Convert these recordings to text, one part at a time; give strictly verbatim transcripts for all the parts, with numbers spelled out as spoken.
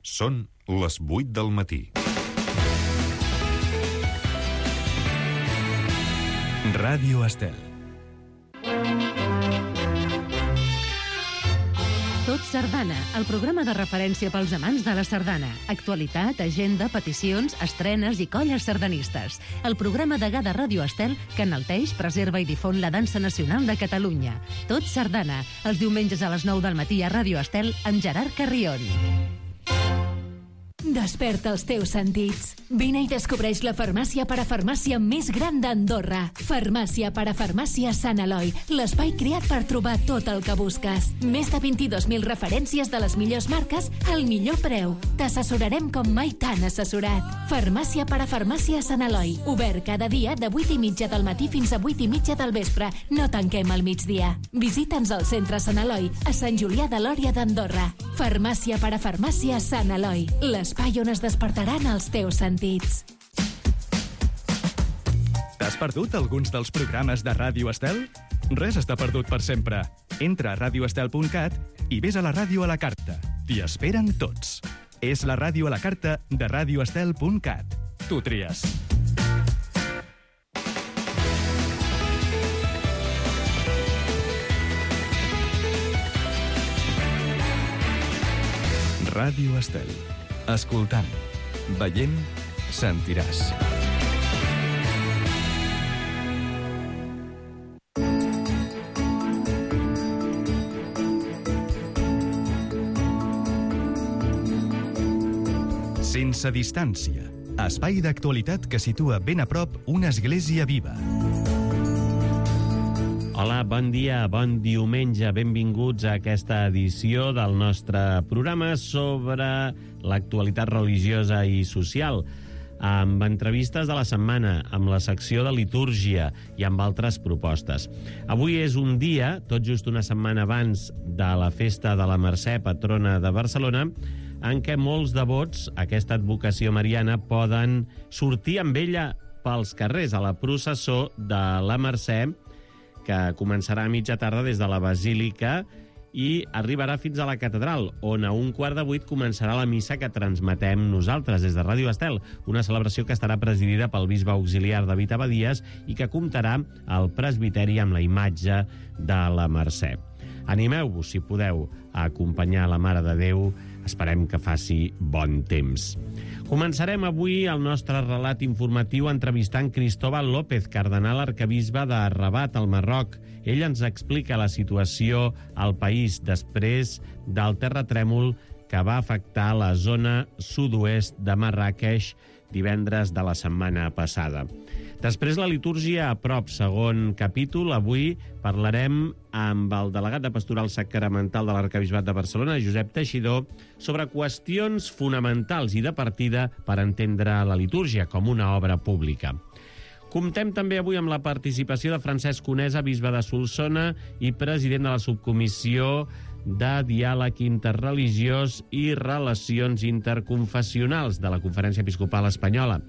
Són les vuit del matí. Ràdio Estel. Tot Sardana, el programa de referència pels amants de la sardana. Actualitat, agenda, peticions, estrenes i colles sardanistes. El programa degà de Ràdio Estel que enalteix, preserva i difon la dansa nacional de Catalunya. Tot Sardana, els diumenges a les nou del matí a Ràdio Estel amb Gerard Carrion. Desperta els teus sentits. Vine i descobreix la farmàcia parafarmàcia més gran d'Andorra. Farmàcia parafarmàcia Sant Eloi, l'espai creat per trobar tot el que busques. Més de vint-i-dos mil referències de les millors marques al millor preu. T'assessorarem com mai t'han assessorat. Farmàcia parafarmàcia Sant Eloi, obert cada dia de vuit i mitja del matí fins a vuit i mitja del vespre. No tanquem al migdia. Visita'ns al centre Sant Eloi, a Sant Julià de Lòria d'Andorra. Farmàcia parafarmàcia Sant Eloi, l'espai on es despertaran els teus sentits. T'has perdut alguns dels programes de Ràdio Estel? Res està perdut per sempre. Entra a radio estel punt cat i vés a la ràdio a la carta. T'hi esperen tots. És la ràdio a la carta de radio estel punt cat. Tu tries. Ràdio Estel. Escoltant, veient, sentiràs. Sense distància. Espai d'actualitat que situa ben a prop una església viva. Hola, bon dia, bon diumenge, benvinguts a aquesta edició del nostre programa sobre l'actualitat religiosa i social, amb entrevistes de la setmana, amb la secció de litúrgia i amb altres propostes. Avui és un dia, tot just una setmana abans de la festa de la Mercè, patrona de Barcelona, en què molts devots, aquesta advocació mariana, poden sortir amb ella pels carrers a la processó de la Mercè, que començarà a mitja tarda des de la Basílica i arribarà fins a la catedral, on a un quart de vuit començarà la missa que transmetem nosaltres des de Ràdio Estel, una celebració que estarà presidida pel bisbe auxiliar David Abadies i que comptarà al presbiteri amb la imatge de la Mercè. Animeu-vos, si podeu, a acompanyar la Mare de Déu. Esperem que faci bon temps. Començarem avui el nostre relat informatiu entrevistant Cristóbal López, cardenal arquebisbe de Rabat, al Marroc. Ell ens explica la situació al país després del terratrèmol que va afectar la zona sud-oest de Marràqueix divendres de la setmana passada. Després la litúrgia a prop, segon capítol. Avui parlarem amb el delegat de Pastoral Sacramental de l'Arquebisbat de Barcelona, Josep Teixidor, sobre qüestions fonamentals i de partida per entendre la litúrgia com una obra pública. Comptem també avui amb la participació de Francesc Conesa, bisbe de Solsona i president de la subcomissió de diàleg interreligiós i relacions interconfessionals de la Conferència Episcopal Espanyola.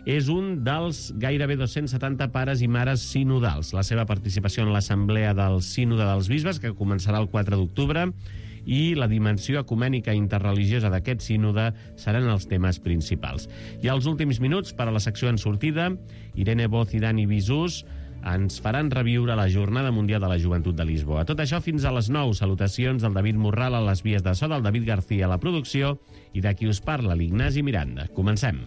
És un dels gairebé dos-cents setanta pares i mares sinodals. La seva participació en l'Assemblea del Sínode dels Bisbes, que començarà el quatre d'octubre, i la dimensió ecumènica interreligiosa d'aquest sínode seran els temes principals. I als últims minuts, per a la secció en sortida, Irene Boz i Dani Bisús ens faran reviure la Jornada Mundial de la Joventut de Lisboa. Tot això fins a les nou. Salutacions del David Morral a les vies de so, del David García a la producció i de qui us parla, l'Ignasi Miranda. Comencem.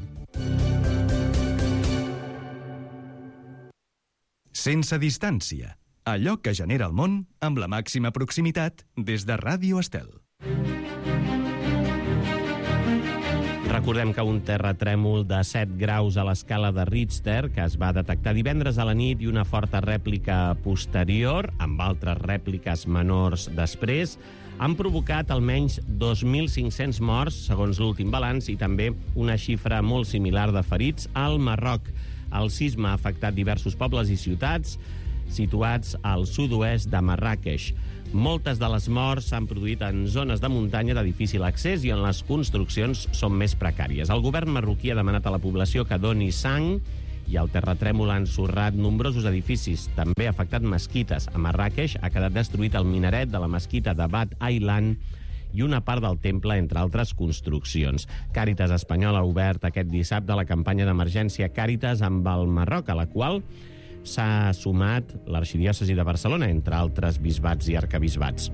Sense distància. Allò que genera el món amb la màxima proximitat des de Ràdio Estel. Recordem que un terratrèmol de set graus a l'escala de Richter, que es va detectar divendres a la nit, i una forta rèplica posterior, amb altres rèpliques menors després, han provocat almenys dos mil cinc-cents morts, segons l'últim balanç, i també una xifra molt similar de ferits al Marroc. El sisme ha afectat diversos pobles i ciutats situats al sud-oest de Marràqueix. Moltes de les morts s'han produït en zones de muntanya de difícil accés i on les construccions són més precàries. El govern marroquí ha demanat a la població que doni sang i el terratrèmol ha ensorrat nombrosos edificis. També ha afectat mesquites. A Marràqueix ha quedat destruït el minaret de la mesquita de Bat Aylan i una part del temple, entre altres construccions. Càritas Espanyol ha obert aquest dissabte la campanya d'emergència Càritas amb el Marroc, a la qual s'ha sumat l'arxidiòcesi de Barcelona, entre altres bisbats i arcabisbats.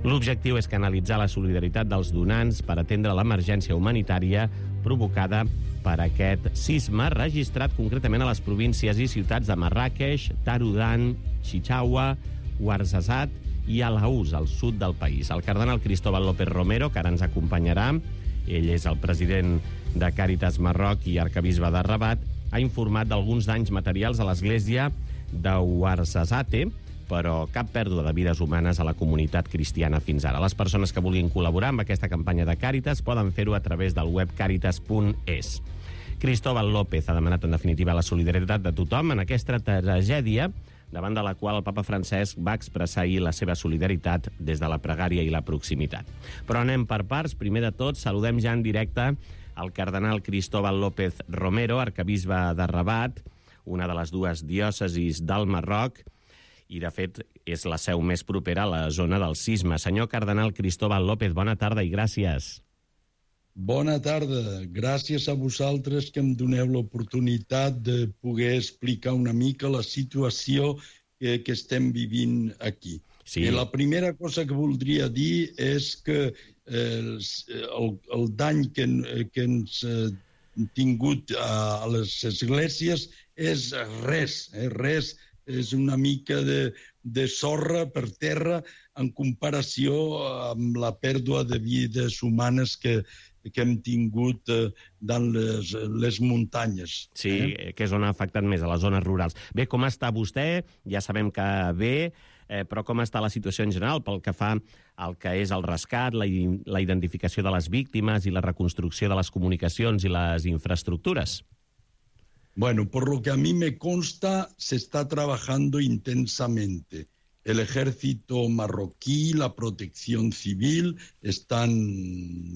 L'objectiu és canalitzar la solidaritat dels donants per atendre l'emergència humanitària provocada per aquest sisme, registrat concretament a les províncies i ciutats de Marràqueix, Tarudan, Chichaua, Ouarzazate i Alaús, al sud del país. El cardenal Cristóbal López Romero, que ara ens acompanyarà, ell és el president de Càritas Marroc i arcabisbe de Rabat, ha informat d'alguns danys materials a l'església de Ouarzazate, però cap pèrdua de vides humanes a la comunitat cristiana fins ara. Les persones que vulguin col·laborar amb aquesta campanya de Càritas poden fer-ho a través del web càritas punt es. Cristóbal López ha demanat, en definitiva, la solidaritat de tothom en aquesta tragèdia, davant de la qual el papa Francesc va expressar ahir la seva solidaritat des de la pregària i la proximitat. Però anem per parts. Primer de tot, saludem ja en directe el cardenal Cristóbal López Romero, arcabisbe de Rabat, una de les dues diòcesis del Marroc, i, de fet, és la seu més propera a la zona del sisme. Senyor cardenal Cristóbal López, bona tarda i gràcies. Bona tarda. Gràcies a vosaltres que em doneu l'oportunitat de poder explicar una mica la situació que, que estem vivint aquí. Sí. I la primera cosa que voldria dir és que eh, el, el dany que, que ens ha tingut a, a les esglésies és res, eh, res. És una mica de, de sorra per terra en comparació amb la pèrdua de vides humanes que, que hem tingut eh, dans les, les muntanyes. Sí, eh? que és on ha afectat més, a les zones rurals. Bé, com està vostè? Ja sabem que bé, eh, però com està la situació en general pel que fa al que és el rescat, la, la identificació de les víctimes i la reconstrucció de les comunicacions i les infraestructures? Bueno, por lo que a mí me consta, se está trabajando intensamente. El ejército marroquí, la protección civil, están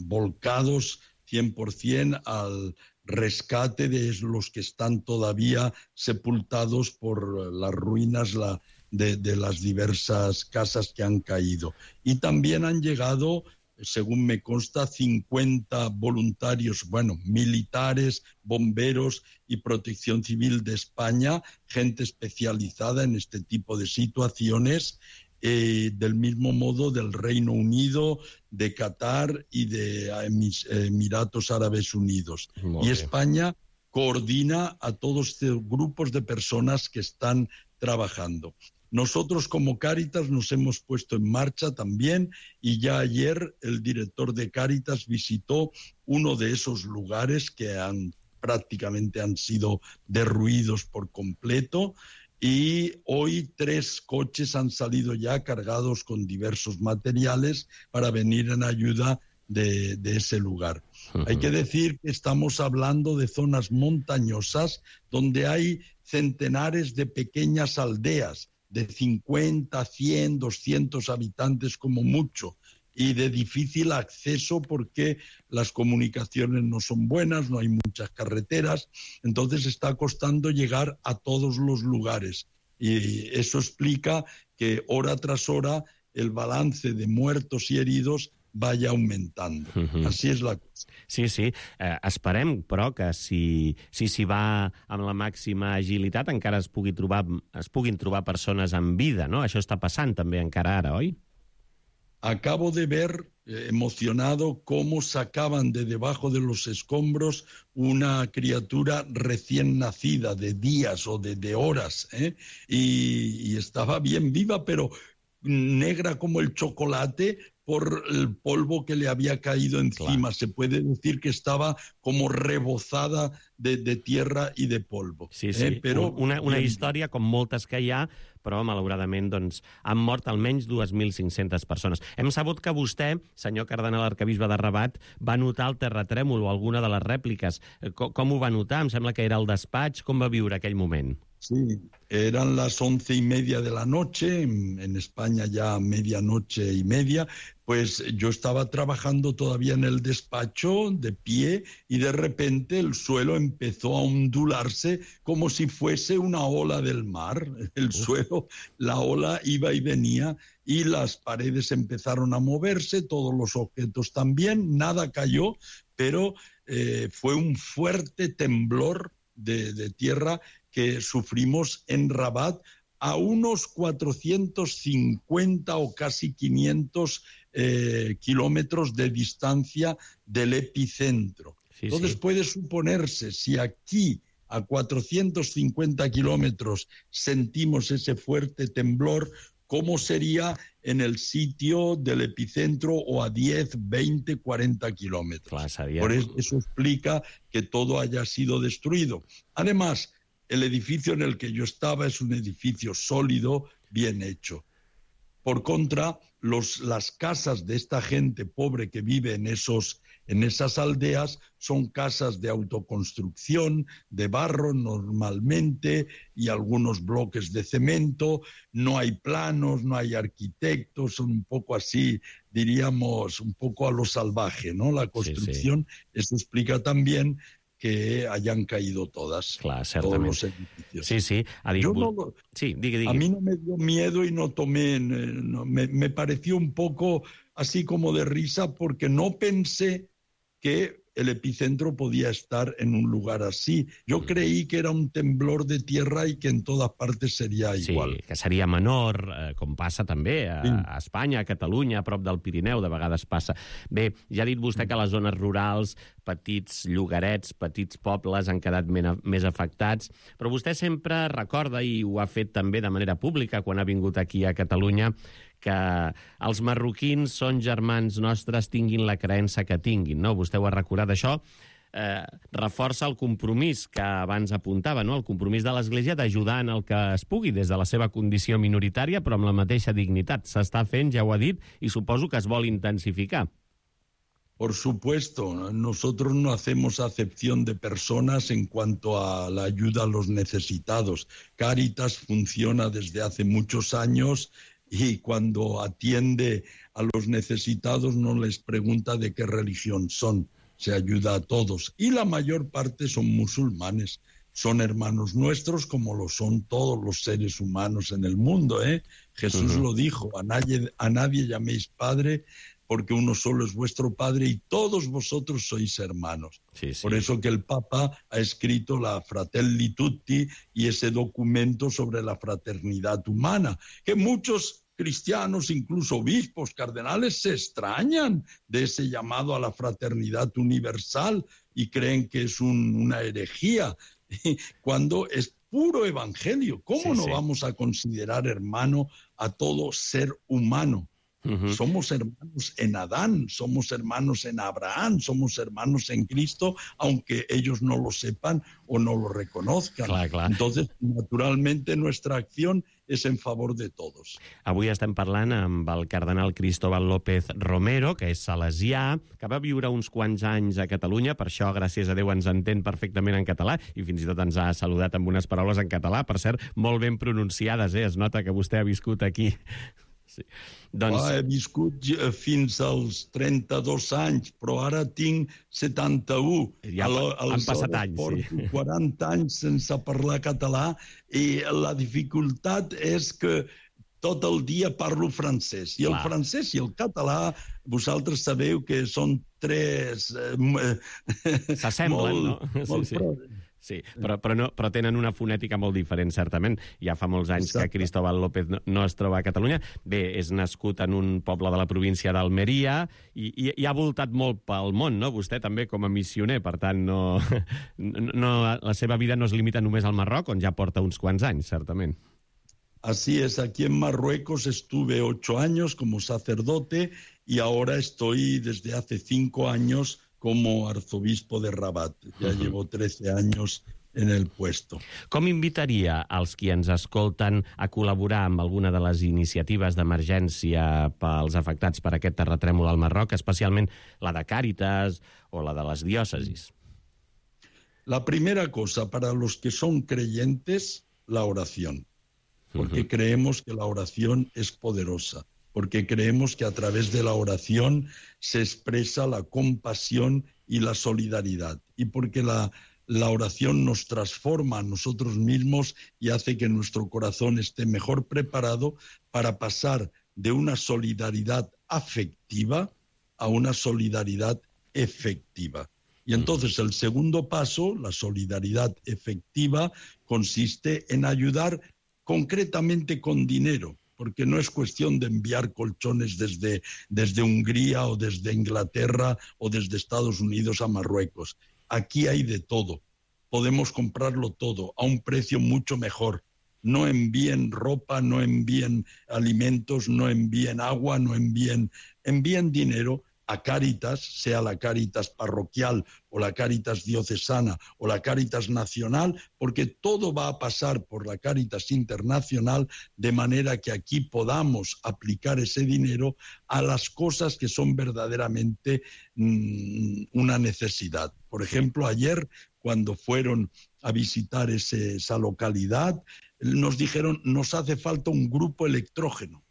volcados cien por ciento al rescate de los que están todavía sepultados por las ruinas la, de, de las diversas casas que han caído. Y también han llegado, según me consta, cincuenta voluntarios, bueno, militares, bomberos y protección civil de España, gente especializada en este tipo de situaciones, eh, del mismo modo del Reino Unido, de Qatar y de Emiratos Árabes Unidos. Muy y bien. España coordina a todos estos grupos de personas que están trabajando. Nosotros como Càritas nos hemos puesto en marcha también y ya ayer el director de Càritas visitó uno de esos lugares que han, prácticamente han sido derruidos por completo y hoy tres coches han salido ya cargados con diversos materiales para venir en ayuda de, de ese lugar. Uh-huh. Hay que decir que estamos hablando de zonas montañosas donde hay centenares de pequeñas aldeas de cincuenta, cien, doscientos habitantes como mucho, y de difícil acceso porque las comunicaciones no son buenas, no hay muchas carreteras, entonces está costando llegar a todos los lugares. Y eso explica que hora tras hora el balance de muertos y heridos vaya aumentando. Uh-huh. Así es la cosa. Sí, sí. Eh, esperem, però, que si s'hi si va amb la màxima agilitat encara es, pugui trobar, es puguin trobar persones en vida, no? Això està passant també encara ara, oi? Acabo de ver, eh, emocionado, cómo sacaban de debajo de los escombros una criatura recién nacida, de días o de, de horas, ¿eh? y, y estaba bien viva, pero negra como el chocolate por el polvo que le había caído encima. Clar. Se puede decir que estaba como rebozada de, de tierra y de polvo. Sí, sí, eh? Però una, una història com moltes que hi ha, però malauradament doncs, han mort almenys dos mil cinc-centes persones. Hem sabut que vostè, senyor cardenal arcabisbe de Rabat, va notar el terratrèmol o alguna de les rèpliques. Com, com ho va notar? Em sembla que era al despatx. Com va viure aquell moment? Sí, eran las once y media de la noche, en, en España ya medianoche y media, pues yo estaba trabajando todavía en el despacho de pie y de repente el suelo empezó a ondularse como si fuese una ola del mar. El Uf. suelo, la ola iba y venía y las paredes empezaron a moverse, todos los objetos también, nada cayó, pero eh, fue un fuerte temblor de, de tierra que sufrimos en Rabat a unos cuatrocientos cincuenta o casi quinientos eh, kilómetros de distancia del epicentro. Sí, Entonces sí. puede suponerse, si aquí a cuatrocientos cincuenta kilómetros sentimos ese fuerte temblor, ¿cómo sería en el sitio del epicentro o a diez, veinte, cuarenta kilómetros? Claro, sabía. Por eso, eso explica que todo haya sido destruido. Además, el edificio en el que yo estaba es un edificio sólido, bien hecho. Por contra, los, las casas de esta gente pobre que vive en, esos, en esas aldeas son casas de autoconstrucción, de barro normalmente, y algunos bloques de cemento. No hay planos, no hay arquitectos, son un poco así, diríamos, un poco a lo salvaje, ¿no? La construcción, sí, sí. Eso explica también que hayan caído todas, Clar, todos los edificios. Sí, sí. Ha dit... no, sí, digui, digui. A mí no me dio miedo y no tomé, no, me, me pareció un poco así como de risa porque no pensé que el epicentro podía estar en un lugar así. Jo mm. creí que era un temblor de tierra i que en totes partes seria igual. Sí, que seria menor, eh, com passa també a, sí. a Espanya, a Catalunya, a prop del Pirineu, de vegades passa. Bé, ja ha dit vostè que les zones rurals, petits llogarets, petits pobles han quedat mena, més afectats, però vostè sempre recorda, i ho ha fet també de manera pública quan ha vingut aquí a Catalunya, que els marroquins són germans nostres, tinguin la creença que tinguin, no? Vostè ho ha recordat, això eh, reforça el compromís que abans apuntava, no? El compromís de l'Església d'ajudar en el que es pugui des de la seva condició minoritària, però amb la mateixa dignitat. S'està fent, ja ho ha dit, i suposo que es vol intensificar. Por supuesto, nosotros no hacemos acepción de personas en cuanto a la ayuda a los necesitados. Cáritas funciona desde hace muchos años y cuando atiende a los necesitados no les pregunta de qué religión son, se ayuda a todos. Y la mayor parte son musulmanes, son hermanos nuestros como lo son todos los seres humanos en el mundo, ¿eh? Jesús uh-huh. lo dijo, a nadie, a nadie llaméis padre, porque uno solo es vuestro Padre y todos vosotros sois hermanos. Sí, sí. Por eso que el Papa ha escrito la Fratelli Tutti y ese documento sobre la fraternidad humana, que muchos cristianos, incluso obispos, cardenales, se extrañan de ese llamado a la fraternidad universal y creen que es un, una herejía, cuando es puro evangelio. ¿Cómo sí, no sí. vamos a considerar hermano a todo ser humano? Uh-huh. Somos hermanos en Adán, somos hermanos en Abraham, somos hermanos en Cristo, aunque ellos no lo sepan o no lo reconozcan. Clar, clar. Entonces, naturalmente, nuestra acción es en favor de todos. Avui estem parlant amb el cardenal Cristóbal López Romero, que és salesià, que va viure uns quants anys a Catalunya, per això, gràcies a Déu, ens entén perfectament en català, i fins i tot ens ha saludat amb unes paraules en català, per cert, molt ben pronunciades, eh? Es nota que vostè ha viscut aquí. Sí. Doncs... Ah, he viscut fins als trenta-dos anys, però ara tinc setanta-u. Ja han passat anys, sí. quaranta anys sense parlar català i la dificultat és que tot el dia parlo francès. I el Clar. francès i el català, vosaltres sabeu que són tres... Eh, S'assemblen, molt, no? Molt sí, sí. Sí, però, però, no, però tenen una fonètica molt diferent, certament. Ja fa molts anys Exacte. que Cristóbal López no, no es troba a Catalunya. Bé, és nascut en un poble de la província d'Almeria i, i, i ha voltat molt pel món, no? Vostè també com a missioner, per tant, no, no, la seva vida no es limita només al Marroc, on ja porta uns quants anys, certament. Así es, aquí en Marruecos estuve ocho años como sacerdote y ahora estoy desde hace cinco años como arzobispo de Rabat. Ja uh-huh. llevo trece años en el puesto. Com invitaria als qui ens escolten a col·laborar amb alguna de les iniciatives d'emergència pels afectats per aquest terratrèmol al Marroc, especialment la de Càritas o la de les diòcesis? La primera cosa, para los que son creyentes, la oración, porque uh-huh. creemos que la oración es poderosa, porque creemos que a través de la oración se expresa la compasión y la solidaridad, y porque la, la oración nos transforma a nosotros mismos y hace que nuestro corazón esté mejor preparado para pasar de una solidaridad afectiva a una solidaridad efectiva. Y entonces el segundo paso, la solidaridad efectiva, consiste en ayudar concretamente con dinero, porque no es cuestión de enviar colchones desde, desde Hungría o desde Inglaterra o desde Estados Unidos a Marruecos. Aquí hay de todo. Podemos comprarlo todo a un precio mucho mejor. No envíen ropa, no envíen alimentos, no envíen agua, no envíen, envíen dinero a Cáritas, sea la Cáritas parroquial o la Cáritas diocesana o la Cáritas nacional, porque todo va a pasar por la Cáritas internacional, de manera que aquí podamos aplicar ese dinero a las cosas que son verdaderamente mmm, una necesidad. Por ejemplo, ayer, cuando fueron a visitar ese, esa localidad, nos dijeron, nos hace falta un grupo electrógeno.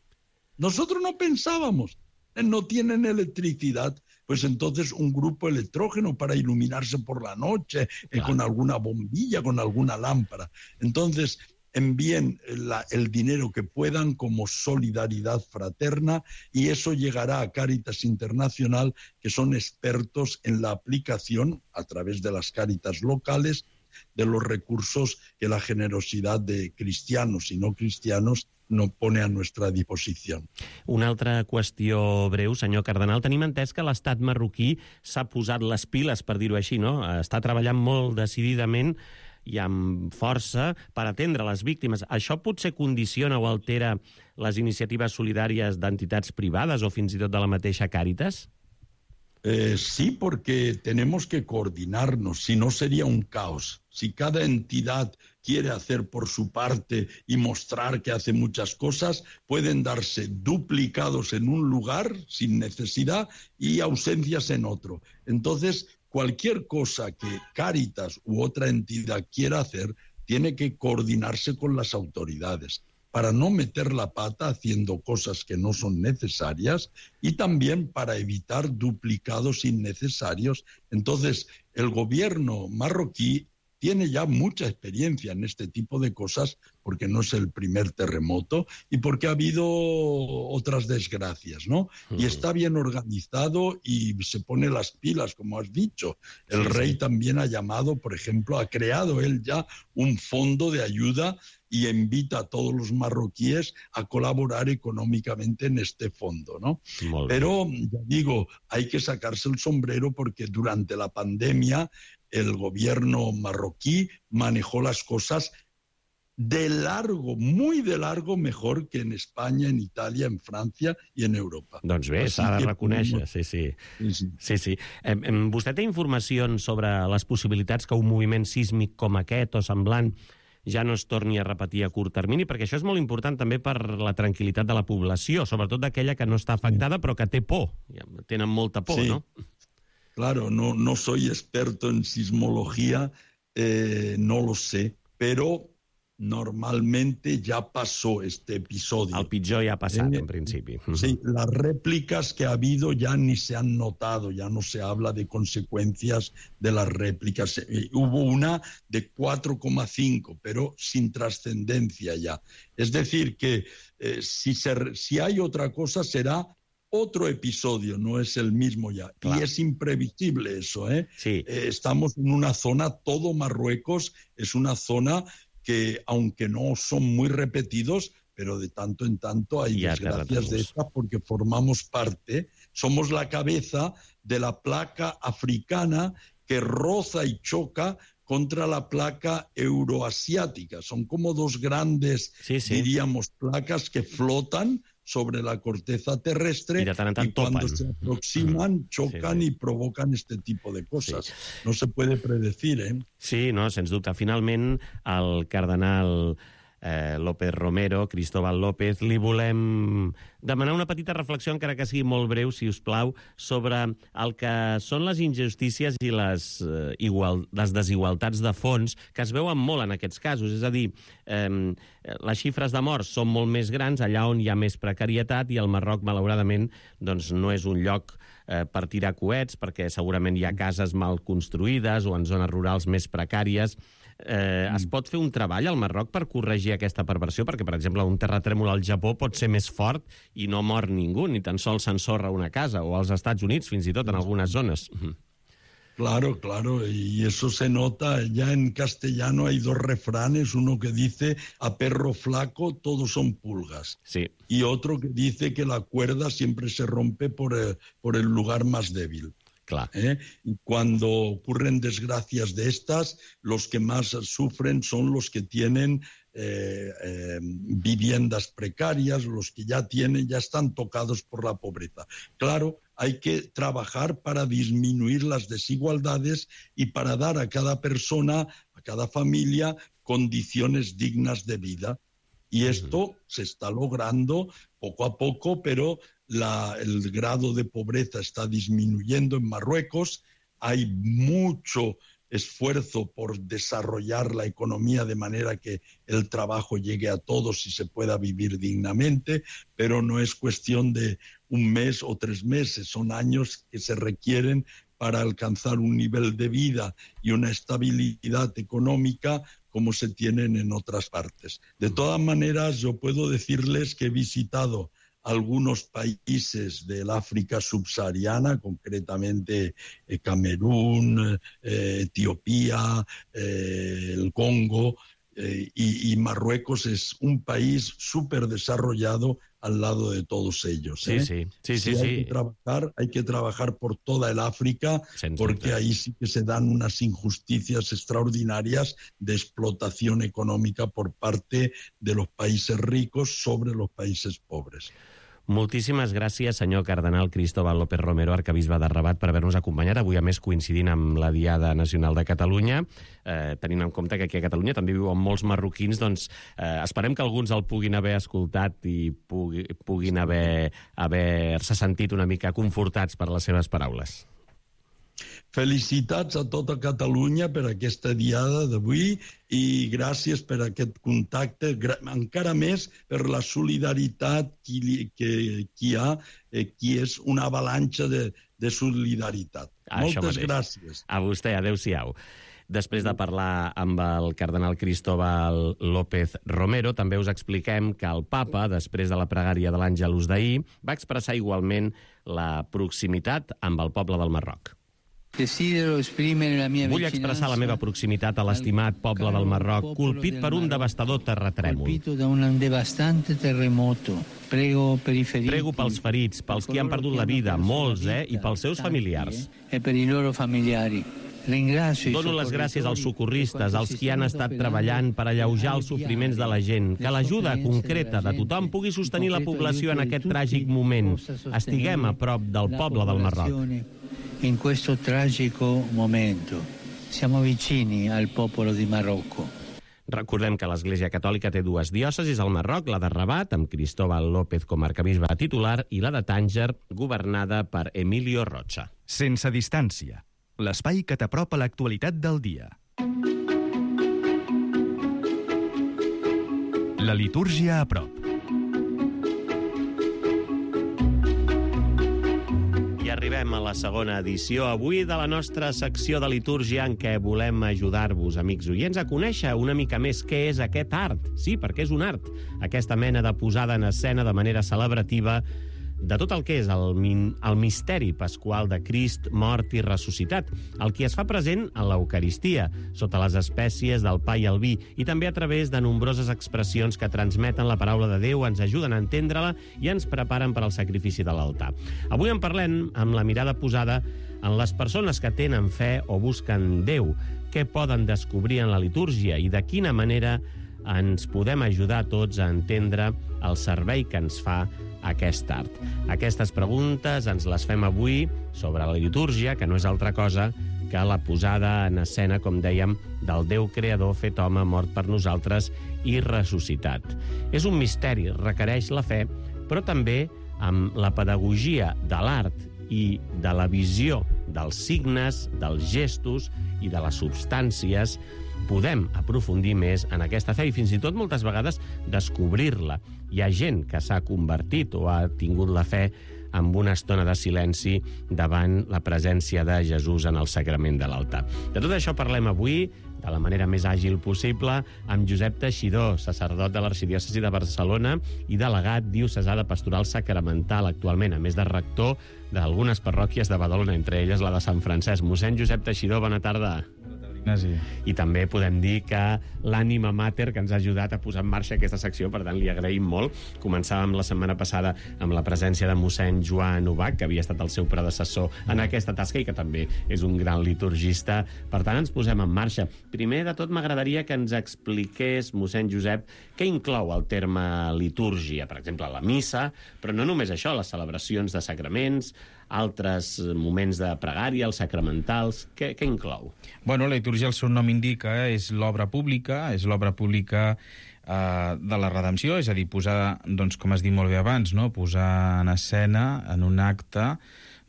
Nosotros no pensábamos, no tienen electricidad, pues entonces un grupo electrógeno para iluminarse por la noche, claro. eh, con alguna bombilla, con alguna lámpara. Entonces, envíen la, el dinero que puedan como solidaridad fraterna, y eso llegará a Cáritas Internacional, que son expertos en la aplicación, a través de las Cáritas locales, de los recursos que la generosidad de cristianos y no cristianos no pone a nuestra disposició. Una altra qüestió breu, senyor Cardenal. Tenim entès que l'estat marroquí s'ha posat les piles, per dir-ho així, no? Està treballant molt decididament i amb força per atendre les víctimes. Això potser condiciona o altera les iniciatives solidàries d'entitats privades o fins i tot de la mateixa Càritas? Eh, sí, porque tenemos que coordinarnos, si no sería un caos. Si cada entidad quiere hacer por su parte y mostrar que hace muchas cosas, pueden darse duplicados en un lugar sin necesidad y ausencias en otro. Entonces, cualquier cosa que Cáritas u otra entidad quiera hacer, tiene que coordinarse con las autoridades, para no meter la pata haciendo cosas que no son necesarias y también para evitar duplicados innecesarios. Entonces, el gobierno marroquí tiene ya mucha experiencia en este tipo de cosas, porque no es el primer terremoto y porque ha habido otras desgracias, ¿no? Uh-huh. Y está bien organizado y se pone las pilas, como has dicho. El sí, rey sí. también ha llamado, por ejemplo, ha creado él ya un fondo de ayuda y invita a todos los marroquíes a colaborar económicamente en este fondo, ¿no? Pero, ya digo, hay que sacarse el sombrero, porque durante la pandemia el gobierno marroquí manejó las cosas de largo, muy de largo, mejor que en Espanya, en Itàlia, en França i en Europa. Doncs bé, s'ha de reconèixer, sí, sí. sí, sí. sí, sí. Eh, vostè té informacions sobre les possibilitats que un moviment sísmic com aquest o semblant ja no es torni a repetir a curt termini? Perquè això és molt important també per la tranquil·litat de la població, sobretot d'aquella que no està afectada però que té por. Tenen molta por, sí. ¿no? Claro, no, no soy experto en sismología, eh, no lo sé, pero normalmente ya pasó este episodio. El pitjor ja ha passat, eh, en principi. Sí, las réplicas que ha habido ya ni se han notado, ya no se habla de consecuencias de las réplicas. Eh, hubo una de cuatro coma cinco, pero sin trascendencia ya. Es decir, que eh, si, se, si hay otra cosa será otro episodio, no es el mismo ya. Claro. Y es imprevisible eso, ¿eh? Sí. Eh, estamos en una zona, todo Marruecos es una zona que, aunque no son muy repetidos, pero de tanto en tanto hay ya desgracias de estas, porque formamos parte, somos la cabeza de la placa africana que roza y choca contra la placa euroasiática. Son como dos grandes, sí, sí. diríamos, placas que flotan sobre la corteza terrestre y, tant tant y cuando topen. se aproximan, chocan sí, sí. y provocan este tipo de cosas. Sí. No se puede predecir, ¿eh? Sí, no, sens dubte. Finalment, el cardenal eh, López Romero, Cristóbal López, li volem demanar una petita reflexió, encara que sigui molt breu, si us plau, sobre el que són les injustícies i les, eh, igual, les desigualtats de fons que es veuen molt en aquests casos. És a dir, eh, les xifres de morts són molt més grans allà on hi ha més precarietat, i el Marroc, malauradament, doncs, no és un lloc eh, per tirar coets, perquè segurament hi ha cases mal construïdes o en zones rurals més precàries. Eh, es pot fer un treball al Marroc per corregir aquesta perversió? Perquè, per exemple, un terratrèmol al Japó pot ser més fort i no mor ningú, ni tan sols s'ensorra una casa, o als Estats Units, fins i tot, en algunes zones. Claro, claro, y eso se nota. Ya en castellano hay dos refranes, uno que dice a perro flaco todos son pulgas. Sí. Y otro que dice que la cuerda siempre se rompe por el, por el lugar más débil. Clar. ¿Eh? Y cuando ocurren desgracias de estas, los que más sufren son los que tienen eh, eh, viviendas precarias, los que ya tienen, ya están tocados por la pobreza. Claro, hay que trabajar para disminuir las desigualdades y para dar a cada persona, a cada familia, condiciones dignas de vida. Y esto se está logrando poco a poco, pero la, el grado de pobreza está disminuyendo en Marruecos. Hay mucho esfuerzo por desarrollar la economía de manera que el trabajo llegue a todos y se pueda vivir dignamente, pero no es cuestión de un mes o tres meses, son años que se requieren para alcanzar un nivel de vida y una estabilidad económica como se tienen en otras partes. De todas maneras, yo puedo decirles que he visitado algunos países del África subsahariana, concretamente eh, Camerún, eh, Etiopía, eh, el Congo, eh, y, y Marruecos es un país súper desarrollado al lado de todos ellos. ¿eh? Sí, sí, sí, si sí, hay sí. que trabajar, hay que trabajar por toda el África, Sense porque dubte. ahí sí que se dan unas injusticias extraordinarias de explotación económica por parte de los países ricos sobre los países pobres. Moltíssimes gràcies, senyor cardenal Cristóbal López Romero, arcabisbe de Rabat, per haver-nos acompanyat. Avui, a més, coincidint amb la Diada Nacional de Catalunya, eh, tenint en compte que aquí a Catalunya també viuen molts marroquins, doncs eh, esperem que alguns el puguin haver escoltat i pugui, puguin haver haver-se sentit una mica confortats per les seves paraules. Felicitats a tota Catalunya per aquesta diada d'avui i gràcies per aquest contacte, encara més per la solidaritat que, que, que hi ha, eh, que és una avalanxa de, de solidaritat. Això Moltes mateix. gràcies. A vostè, adéu-siau. Després de parlar amb el cardenal Cristóbal López Romero, també us expliquem que el papa, després de la pregària de l'Àngelus d'ahir, va expressar igualment la proximitat amb el poble del Marroc. Vull expressar la meva proximitat a l'estimat poble del Marroc, colpit per un devastador terratrèmol. Prego pels ferits, pels qui han perdut la vida, molts, eh, i pels seus familiars. Dono les gràcies als socorristes, als qui han estat treballant per alleujar els sofriments de la gent, que l'ajuda concreta de tothom pugui sostenir la població en aquest tràgic moment. Estiguem a prop del poble del Marroc. In questo tragico momento. Siamo vicini al popolo di Marocco. Recordem que l'Església Catòlica té dues diòcesis al Marroc, la de Rabat, amb Cristóbal López com a arcabisbe titular, i la de Tànger, governada per Emilio Rocha. Sense distància. L'espai que t'apropa l'actualitat del dia. La litúrgia a prop. I arribem a la segona edició avui de la nostra secció de litúrgia, en què volem ajudar-vos, amics oients, a conèixer una mica més què és aquest art. Sí, perquè és un art. Aquesta mena de posada en escena de manera celebrativa de tot el que és el, el misteri pasqual de Crist mort i ressuscitat, el que es fa present en l'Eucaristia, sota les espècies del pa i el vi, i també a través de nombroses expressions que transmeten la paraula de Déu, ens ajuden a entendre-la i ens preparen per al sacrifici de l'altar. Avui en parlem amb la mirada posada en les persones que tenen fe o busquen Déu, què poden descobrir en la litúrgia i de quina manera ens podem ajudar tots a entendre el servei que ens fa aquest art. Aquestes preguntes ens les fem avui sobre la litúrgia, que no és altra cosa que la posada en escena, com dèiem, del Déu creador fet home, mort per nosaltres i ressuscitat. És un misteri, requereix la fe, però també amb la pedagogia de l'art i de la visió dels signes, dels gestos i de les substàncies, podem aprofundir més en aquesta fe i fins i tot moltes vegades descobrir-la. Hi ha gent que s'ha convertit o ha tingut la fe amb una estona de silenci davant la presència de Jesús en el sagrament de l'altar. De tot això parlem avui, de la manera més àgil possible, amb Josep Teixidor, sacerdot de l'Arxidiòcesi de Barcelona i delegat diocesà de Pastoral Sacramental actualment, a més de rector d'algunes parròquies de Badalona, entre elles la de Sant Francesc. Mossèn Josep Teixidor, bona tarda. Ignasi. I també podem dir que l'ànima mater que ens ha ajudat a posar en marxa aquesta secció, per tant li agraïm molt. Començàvem la setmana passada amb la presència de mossèn Joan Ubach, que havia estat el seu predecessor en aquesta tasca i que també és un gran liturgista. Per tant, ens posem en marxa. Primer de tot, m'agradaria que ens expliqués, mossèn Josep, què inclou el terme litúrgia, per exemple, la missa, però no només això, les celebracions de sacraments, altres moments de pregària, els sacramentals, què, què inclou? Bueno, la litúrgia, el seu nom indica, és l'obra pública, és l'obra pública eh, de la redempció, és a dir, posar, doncs, com has dit molt bé abans, no? Posar en escena, en un acte,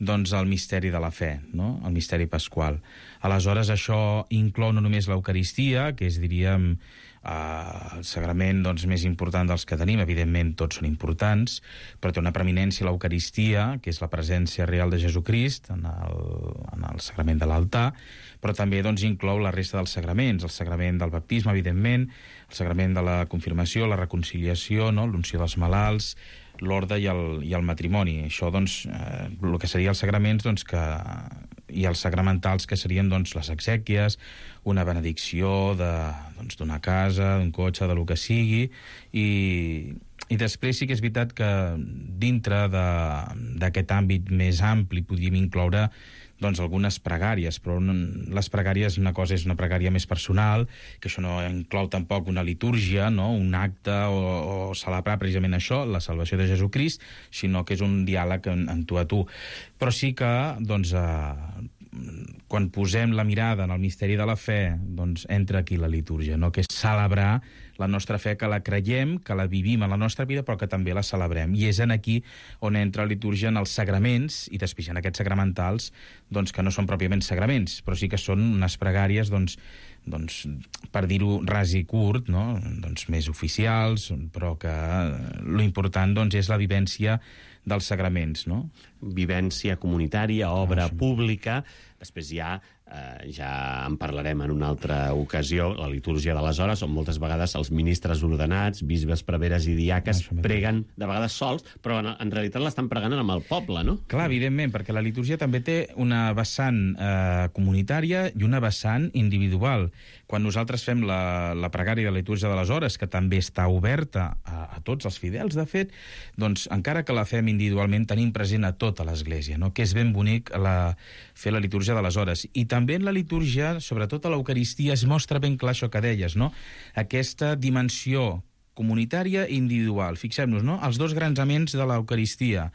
doncs, el misteri de la fe, no? El misteri pasqual. Aleshores, això inclou no només l'Eucaristia, que és, diríem, Uh, el sagrament doncs, més important dels que tenim, evidentment tots són importants, però té una preeminència l'Eucaristia, que és la presència real de Jesucrist en el, en el sagrament de l'altar, però també doncs, inclou la resta dels sagraments, el sagrament del baptisme, evidentment, el sagrament de la confirmació, la reconciliació, no? L'unció dels malalts, l'orde i, el, i el matrimoni. Això, doncs, eh, el que seria els sagraments, doncs, que i els sacramentals, que serien doncs, les exèquies, una benedicció de, doncs, d'una casa, d'un cotxe, de lo que sigui, i, i després sí que és veritat que dintre de, d'aquest àmbit més ampli podríem incloure doncs, algunes pregàries, però les pregàries, una cosa és una pregària més personal, que això no inclou tampoc una litúrgia, no? Un acte o, o celebrar precisament això, la salvació de Jesucrist, sinó que és un diàleg en, en tu a tu. Però sí que, doncs, eh, quan posem la mirada en el misteri de la fe, doncs entra aquí la litúrgia, no? Que és celebrar la nostra fe, que la creiem, que la vivim en la nostra vida, però que també la celebrem. I és en aquí on entra la litúrgia en els sagraments, i després en aquests sacramentals, doncs, que no són pròpiament sagraments, però sí que són unes pregàries, doncs, doncs per dir-ho ras i curt, no? Doncs més oficials, però que lo important doncs, és la vivència dels sagraments, no? Vivència comunitària, obra ah, sí. pública. Després ja, eh, ja en parlarem en una altra ocasió, la litúrgia de les hores, on moltes vegades els ministres ordenats, bisbes, preveres i diaques ah, preguen de vegades sols, però en, en realitat l'estan pregant amb el poble, no? Clar, evidentment, perquè la litúrgia també té una vessant eh, comunitària i una vessant individual. Quan nosaltres fem la, la pregària de la litúrgia de les hores, que també està oberta a, a tots els fidels, de fet, doncs encara que la fem individualment, tenim present a tota l'Església, no? Que és ben bonic la, fer la litúrgia de les hores. I també en la litúrgia, sobretot a l'Eucaristia, es mostra ben clar això que deies, no? Aquesta dimensió comunitària i individual. Fixem-nos, no? Els dos grans aments de l'Eucaristia.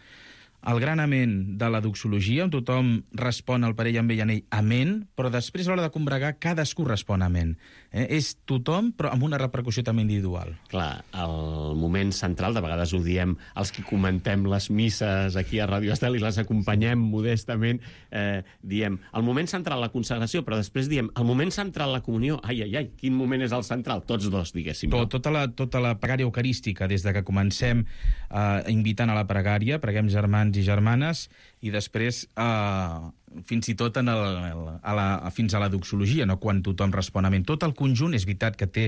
El gran amén de la doxologia, on tothom respon al parell amb ell en ell, amén, però després a l'hora de combregar cadascú respon amén. Eh? És tothom, però amb una repercussió també individual. Clar, el moment central, de vegades ho diem els que comentem les misses aquí a Ràdio Estel i les acompanyem modestament, eh, diem el moment central la consagració, però després diem el moment central la comunió. Ai, ai, ai, quin moment és el central? Tots dos, diguéssim. Tot, tota, la, tota la pregària eucarística, des de que comencem eh, invitant a la pregària, preguem germans i germanes, i després eh, fins i tot en el, a la, fins a la doxologia, no? Quan tothom respon amén. Tot el conjunt, és veritat que té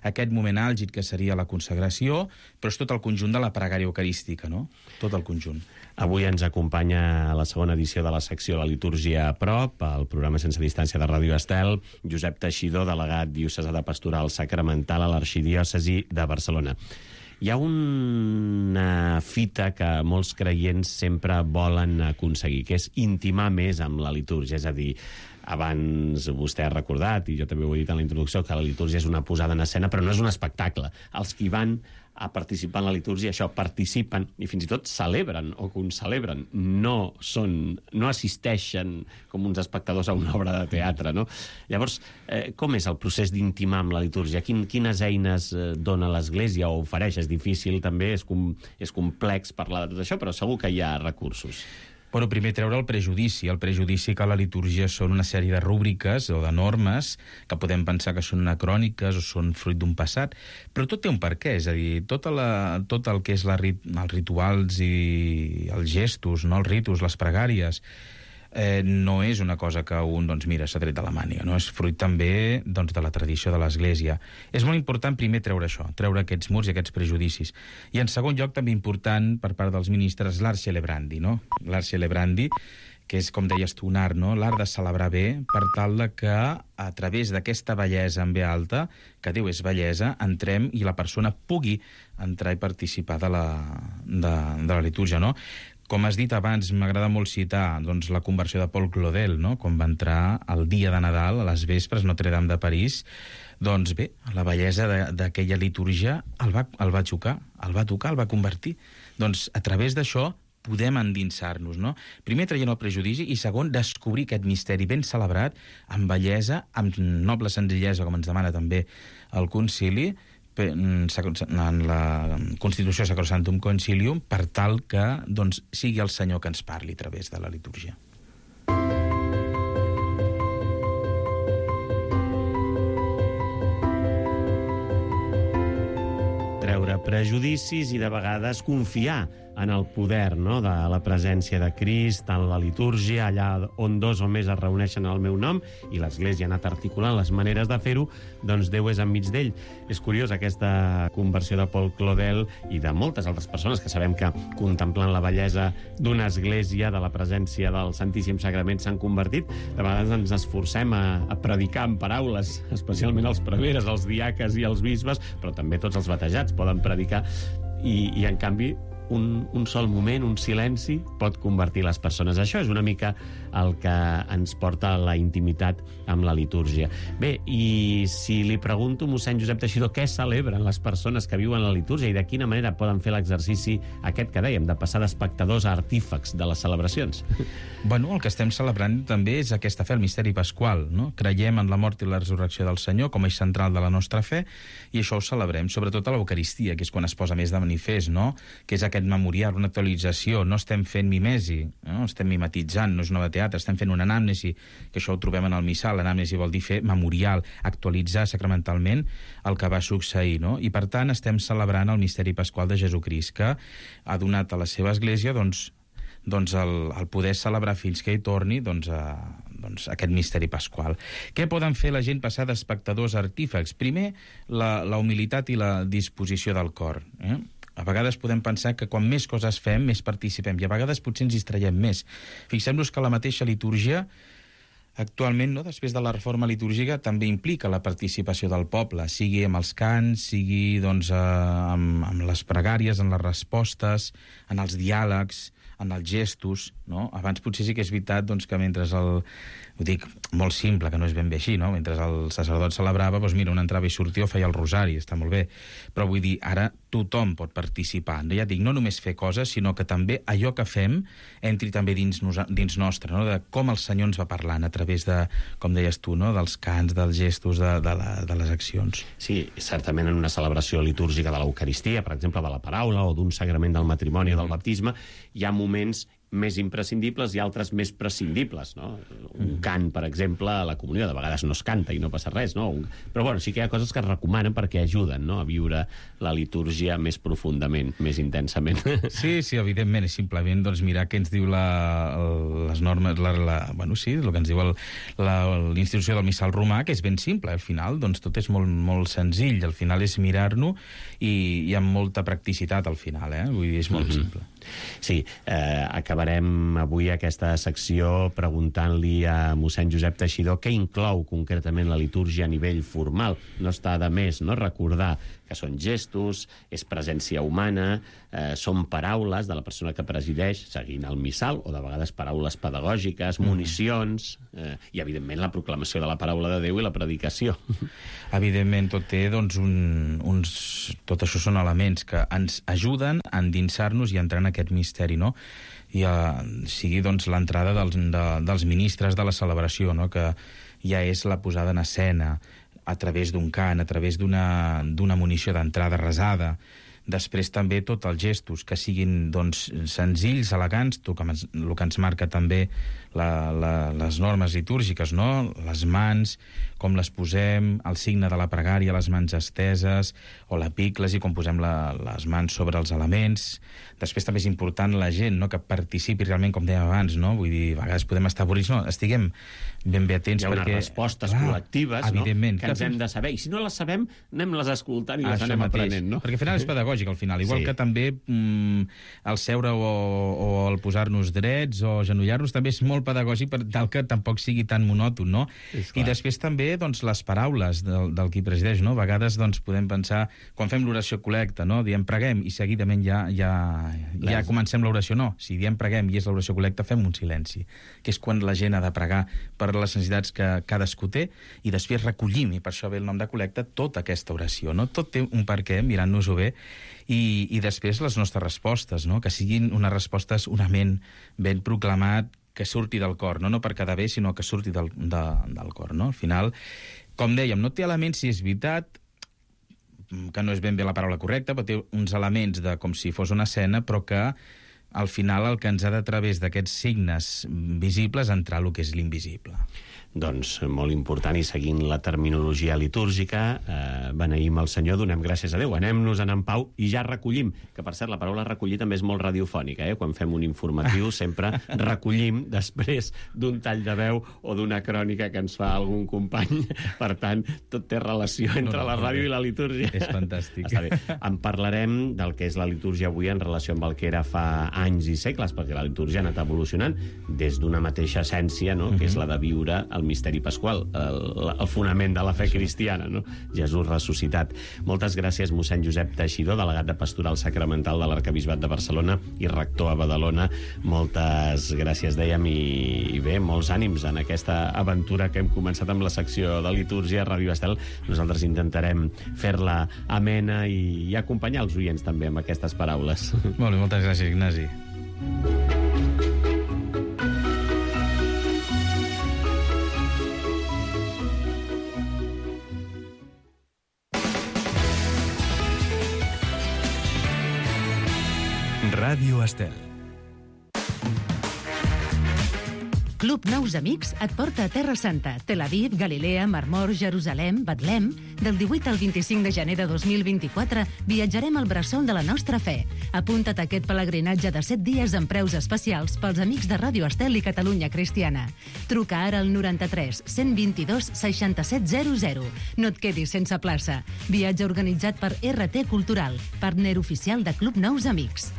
aquest moment àlgid que seria la consagració, però és tot el conjunt de la pregària eucarística, no? Tot el conjunt. Avui ens acompanya a la segona edició de la secció La Litúrgia a prop, el programa sense distància de Ràdio Estel, Josep Teixidor, delegat diocesà de Pastoral Sacramental a l'Arxidiòcesi de Barcelona. Hi ha una fita que molts creients sempre volen aconseguir, que és intimar més amb la litúrgia, és a dir, abans vostè ha recordat, i jo també ho he dit en la introducció, que la litúrgia és una posada en escena, però no és un espectacle. Els que van a participar en la litúrgia, això, participen i fins i tot celebren o concelebren, no són, no assisteixen com uns espectadors a una obra de teatre, no? Llavors, eh, com és el procés d'intimar amb la litúrgia? Quin, quines eines eh, dona l'Església o ofereix? És difícil també, és, com, és complex parlar de tot això, però segur que hi ha recursos. Bueno, primer treure el prejudici, el prejudici que la litúrgia són una sèrie de rúbriques o de normes que podem pensar que són anacròniques o són fruit d'un passat, però tot té un perquè, és a dir, tota la, tot el que és la, els rituals i els gestos, no? Els ritus, les pregàries, eh, no és una cosa que un, doncs mira, s'ha tret de la màniga, no? És fruit també doncs, de la tradició de l'Església. És molt important primer treure això, treure aquests murs i aquests prejudicis. I en segon lloc també important per part dels ministres l'art celebrandi, no? L'art celebrandi, que és, com deies tu, un art, no? L'art de celebrar bé per tal de que a través d'aquesta bellesa en ve alta, que Déu és bellesa, entrem i la persona pugui entrar i participar de la, de, de la litúrgia, no? Com has dit abans, m'agrada molt citar doncs, la conversió de Paul Claudel, no? Quan va entrar el dia de Nadal, a les vespres, Notre Dame de París. Doncs bé, la bellesa d'aquella litúrgia el va, el va xocar, el va tocar, el va convertir. Doncs a través d'això podem endinsar-nos, no? Primer traient el prejudici i segon descobrir aquest misteri ben celebrat, amb bellesa, amb noble senzillesa, com ens demana també el concili, en la Constitució Sacrosanctum Concilium, per tal que doncs, sigui el Senyor que ens parli a través de la litúrgia. Treure prejudicis i de vegades confiar en el poder, no?, de la presència de Crist, en la litúrgia, allà on dos o més es reuneixen al meu nom, i l'Església ha anat articulant les maneres de fer-ho, doncs Déu és enmig d'ell. És curiós aquesta conversió de Paul Claudel i de moltes altres persones que sabem que contemplant la bellesa d'una església, de la presència del Santíssim Sagrament, s'han convertit. De vegades ens esforcem a, a predicar en paraules, especialment els preveres, els diaques i els bisbes, però també tots els batejats poden predicar, i, i en canvi Un, un sol moment, un silenci, pot convertir les persones. Això és una mica el que ens porta a la intimitat amb la litúrgia. Bé, i si li pregunto, mossèn Josep Teixidor, què celebren les persones que viuen la litúrgia i de quina manera poden fer l'exercici aquest que dèiem, de passar d'espectadors a artífecs de les celebracions? Bueno, el que estem celebrant també és aquesta fe, el misteri pasqual, no? Creiem en la mort i la resurrecció del Senyor com a eix central de la nostra fe, i això ho celebrem, sobretot a l'Eucaristia, que és quan es posa més de manifest, no? Que és aquest memorial, una actualització, no estem fent mimesi, no? Estem mimetitzant, no és una obra de teatre, estem fent una anàmnesi, que això ho trobem en el missal. L'anàmnesi vol dir fer memorial, actualitzar sacramentalment el que va succeir, no? I per tant estem celebrant el misteri pasqual de Jesucrist, que ha donat a la seva església doncs, doncs el, el poder celebrar fins que hi torni doncs, a, doncs, aquest misteri pasqual. Què poden fer la gent passar d'espectadors a artífecs? Primer, la, la humilitat i la disposició del cor, eh? A vegades podem pensar que quan més coses fem, més participem, i a vegades potser ens distraiem més. Fixem-nos que la mateixa litúrgia, actualment, no, després de la reforma litúrgica, també implica la participació del poble, sigui amb els cants, sigui doncs, eh, amb, amb les pregàries, en les respostes, en els diàlegs, en els gestos, no? Abans potser sí que és veritat doncs, que mentre el... Ho dic molt simple, que no és ben bé així, no? Mentre el sacerdot celebrava, doncs mira, un entrava i sortia o feia el rosari, està molt bé. Però vull dir, ara tothom pot participar. Ja dic, no només fer coses, sinó que també allò que fem entri també dins, nos... dins nostre, no? De com el Senyor ens va parlant a través de, com deies tu, no? Dels cants, dels gestos, de, de, la, de les accions. Sí, certament en una celebració litúrgica de l'Eucaristia, per exemple, de la paraula o d'un sagrament del matrimoni o del baptisme, hi ha moments més imprescindibles i altres més prescindibles, no? Un cant, per exemple, a la comunió, de vegades no es canta i no passa res, no? Però bueno, sí que hi ha coses que es recomanen perquè ajuden, no?, a viure la litúrgia més profundament, més intensament. Sí, sí, evidentment, és simplement doncs, mirar què ens diu la, les normes, la, la, bueno, sí, el que ens diu el, la, l'institució del missal romà, que és ben simple, al final doncs, tot és molt, molt senzill, al final és mirar-nos i, i amb molta practicitat al final, eh? Vull dir, és molt mm-hmm. simple. Sí, eh, acabarem avui aquesta secció preguntant-li a mossèn Josep Teixidor què inclou concretament la litúrgia a nivell formal. No està de més, no?, recordar que són gestos, és presència humana, eh, són paraules de la persona que presideix, seguint el missal, o de vegades paraules pedagògiques, municions, eh, i, evidentment, la proclamació de la paraula de Déu i la predicació. Evidentment, tot té, doncs, un, uns... Tot això són elements que ens ajuden a endinsar-nos i a entrar en aquest misteri, no? I uh, sigui, doncs, l'entrada dels, de, dels ministres de la celebració, no?, que ja és la posada en escena, a través d'un cant, a través d'una d'una munició d'entrada resada. Després també tots els gestos, que siguin, doncs, senzills, elegants, tot que ens, el que ens marca també la, la, les normes litúrgiques, no? Les mans, com les posem, el signe de la pregària, les mans esteses, o l'epíclesi, com posem la, les mans sobre els elements. Després també és important la gent, no?, que participi realment, com dèiem abans, no? Vull dir, a vegades podem estar avorrits, no, estiguem ben bé atents, perquè... Hi ha perquè... unes respostes clar, col·lectives, no?, que ens hem de saber. I si no les sabem, anem-les escoltant i les anem mateix. aprenent, no? Perquè al final és pedagògic, al final. Igual sí. que també mm, el seure o, o el posar-nos drets o genollar-nos també és molt pedagògic per tal que tampoc sigui tan monòton, no? I després també, doncs, les paraules del, del qui presideix, no? A vegades, doncs, podem pensar, quan fem l'oració col·lecta, no?, diem preguem i seguidament ja, ja, ja comencem l'oració. No, si diem preguem i és l'oració col·lecta, fem un silenci, que és quan la gent ha de pregar per les necessitats que cadascú té, i després recollim, i per això ve el nom de col·lecta, tota aquesta oració, no? Tot té un perquè, mirant-nos-ho bé, i, i després les nostres respostes, no?, que siguin unes respostes, un amén ben proclamat, que surti del cor, no, no per quedar bé, sinó que surti del, de, del cor, no? Al final, com dèiem, no té elements, si és veritat, que no és ben bé la paraula correcta, però té uns elements de com si fos una escena, però que al final el que ens ha de, a través d'aquests signes visibles, entrar el que és l'invisible. Doncs molt important, i seguint la terminologia litúrgica, eh, beneïm el Senyor, donem gràcies a Déu, anem-nos-en en pau i ja recollim, que per cert la paraula recollir també és molt radiofònica, eh? Quan fem un informatiu sempre recollim després d'un tall de veu o d'una crònica que ens fa algun company, per tant tot té relació entre la ràdio i la litúrgia. És fantàstic. Està bé. En parlarem del que és la litúrgia avui en relació amb el que era fa anys i segles, perquè la litúrgia ha anat evolucionant des d'una mateixa essència, no?, que és la de viure el misteri pasqual, el, el fonament de la fe cristiana, no? Jesús ressuscitat. Moltes gràcies, mossèn Josep Teixidor, delegat de Pastoral Sacramental de l'Arquebisbat de Barcelona i rector a Badalona. Moltes gràcies, dèiem, i, i bé, molts ànims en aquesta aventura que hem començat amb la secció de litúrgia a Ràdio Estel. Nosaltres intentarem fer-la amena i, i acompanyar els oients també amb aquestes paraules. Molt bé, moltes gràcies, Ignasi. Ràdio Estel. Club Nous Amics et porta a Terra Santa, Tel Aviv, Galilea, Mar Mor, Jerusalem, Betlem. Del divuit al vint-i-cinc de gener de dos mil vint-i-quatre viatjarem al bressol de la nostra fe. Apunta't a aquest pelegrinatge de set dies amb preus especials pels amics de Ràdio Estel i Catalunya Cristiana. Truca ara al noranta-tres cent vint-i-dos seixanta-set zero zero. No et quedis sense plaça. Viatge organitzat per R T Cultural, partner oficial de Club Nous Amics.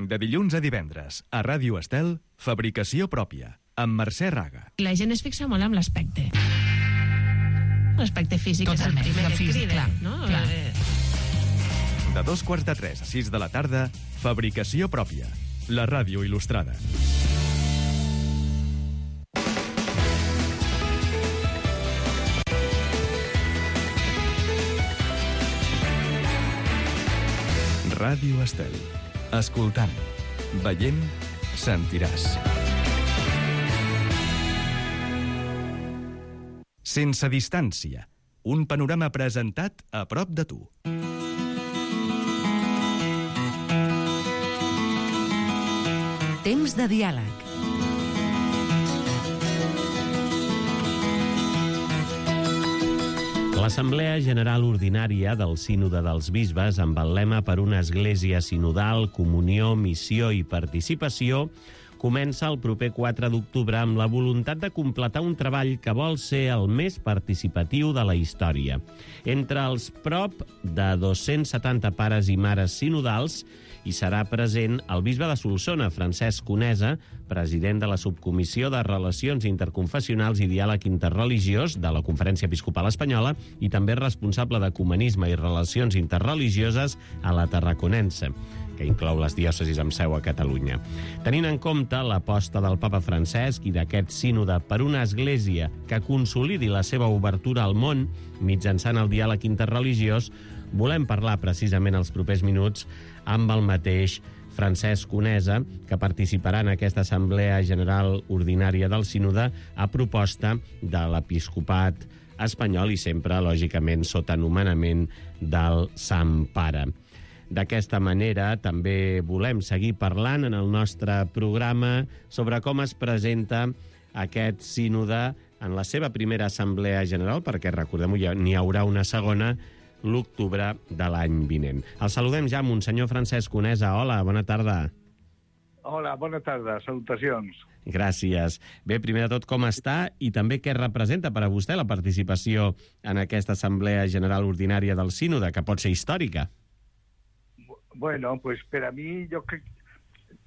De dilluns a divendres, a Ràdio Estel, Fabricació pròpia, amb Mercè Raga. La gent es fixa molt en l'aspecte. L'aspecte físic Totalment, és el primer que físic, crida, clar, no? clar. Eh... De dos quarts de tres a sis de la tarda, Fabricació pròpia, la ràdio il·lustrada. Ràdio Estel. Escoltant, veient, sentiràs. Sense distància. Un panorama presentat a prop de tu. Temps de diàleg. L'Assemblea General Ordinària del Sínode dels Bisbes, amb el lema per una església sinodal, comunió, missió i participació, comença el proper quatre d'octubre amb la voluntat de completar un treball que vol ser el més participatiu de la història. Entre els prop de dos-cents setanta pares i mares sinodals hi serà present el bisbe de Solsona, Francesc Conesa, president de la Subcomissió de Relacions Interconfessionals i Diàleg Interreligiós de la Conferència Episcopal Espanyola i també responsable d'Ecumenisme i Relacions Interreligioses a la Tarraconense, que inclou les diòcesis amb seu a Catalunya. Tenint en compte l'aposta del papa Francesc i d'aquest sínode per una església que consolidi la seva obertura al món mitjançant el diàleg interreligiós, volem parlar precisament els propers minuts amb el mateix Francesc Conesa, que participarà en aquesta Assemblea General Ordinària del Sínode a proposta de l'Episcopat espanyol i sempre, lògicament, sota nomenament del Sant Pare. D'aquesta manera, també volem seguir parlant en el nostre programa sobre com es presenta aquest sínode en la seva primera Assemblea General, perquè, recordem-ho, n'hi haurà una segona l'octubre de l'any vinent. El saludem ja, Monsenyor Francesc Conesa. Hola, bona tarda. Hola, bona tarda. Salutacions. Gràcies. Bé, primer de tot, com està i també què representa per a vostè la participació en aquesta Assemblea General Ordinària del Sínode, que pot ser històrica? Bueno, pues per a mi jo crec,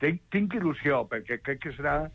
tinc, tinc il·lusió, perquè crec que serà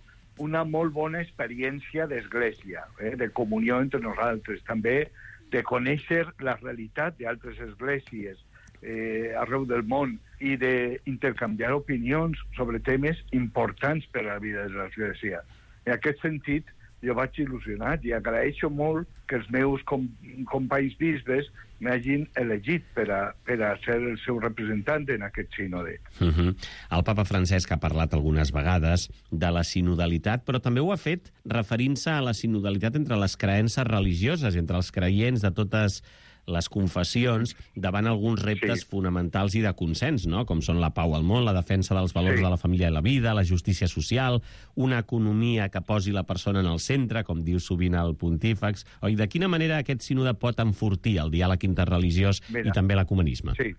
una molt bona experiència d'església, eh, de comunió entre nosaltres, també de conèixer la realitat d'altres esglésies eh, arreu del món i d'intercanviar opinions sobre temes importants per a la vida de l'església. En aquest sentit, jo vaig il·lusionat i agraeixo molt que els meus com, companys bisbes m'hagin elegit per a, per a ser el seu representant en aquest sínode. Uh-huh. El papa Francesc ha parlat algunes vegades de la sinodalitat, però també ho ha fet referint-se a la sinodalitat entre les creences religioses, entre els creients de totes les confessions, davant alguns reptes sí. fonamentals i de consens, no? Com són la pau al món, la defensa dels valors sí. de la família i la vida, la justícia social, una economia que posi la persona en el centre, com diu sovint el pontífex. Oi, de quina manera aquest sínode pot enfortir el diàleg interreligiós Mira, i també l'ecumenisme? Sí.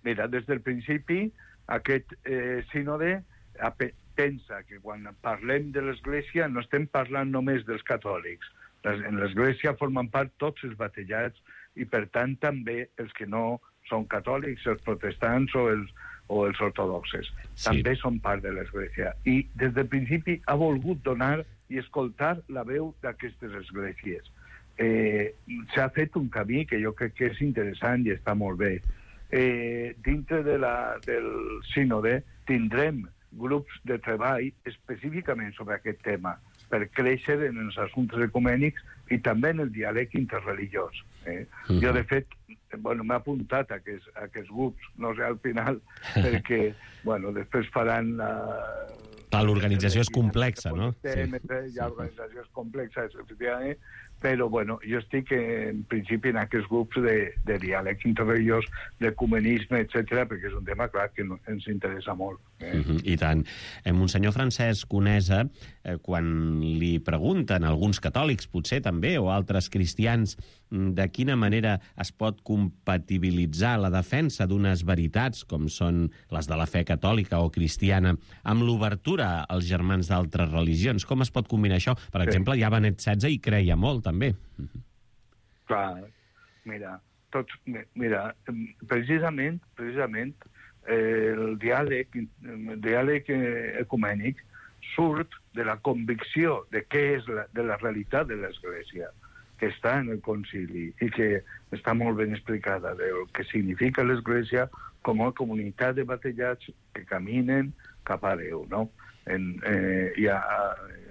Mira, des del principi, aquest eh, sínode pensa que quan parlem de l'Església no estem parlant només dels catòlics. En l'Església formen part tots els batejats i, per tant, també els que no són catòlics, els protestants o els, o els ortodoxes. Sí. També són part de l'Església. I des del principi ha volgut donar i escoltar la veu d'aquestes esglésies. Eh, S'ha fet un camí que jo crec que és interessant i està molt bé. Eh, dintre de la, del sínode tindrem grups de treball específicament sobre aquest tema per créixer en els assumptes ecumènics i també en el diàleg interreligiós. Eh? Uh-huh. Jo, de fet, bueno, m'he apuntat a aquests, a aquests grups, no sé, al final, perquè, bueno, després faran la... Clar, l'organització és complexa, no? Sí. Hi ha organitzacions complexes, efectivament, però, bueno, jo estic, en principi, en aquests grups de, de diàleg interreligiós, d'ecumenisme, etcètera, perquè és un tema, clar, que ens interessa molt. Eh? Uh-huh, I tant. Eh, Monsenyor Francesc Conesa, eh, quan li pregunten alguns catòlics, potser també, o altres cristians, de quina manera es pot compatibilitzar la defensa d'unes veritats, com són les de la fe catòlica o cristiana, amb l'obertura als germans d'altres religions, com es pot combinar això? Per exemple, ja Benet setze hi creia molt, també. Clar, mira, tots, mira, precisament, precisament eh, el diàleg, el diàleg ecumènic surt de la convicció de què és la, de la realitat de l'Església, que està en el concili i que està molt ben explicada del que significa l'Església com a comunitat de batejats que caminen cap a Déu, no? En, eh, i a,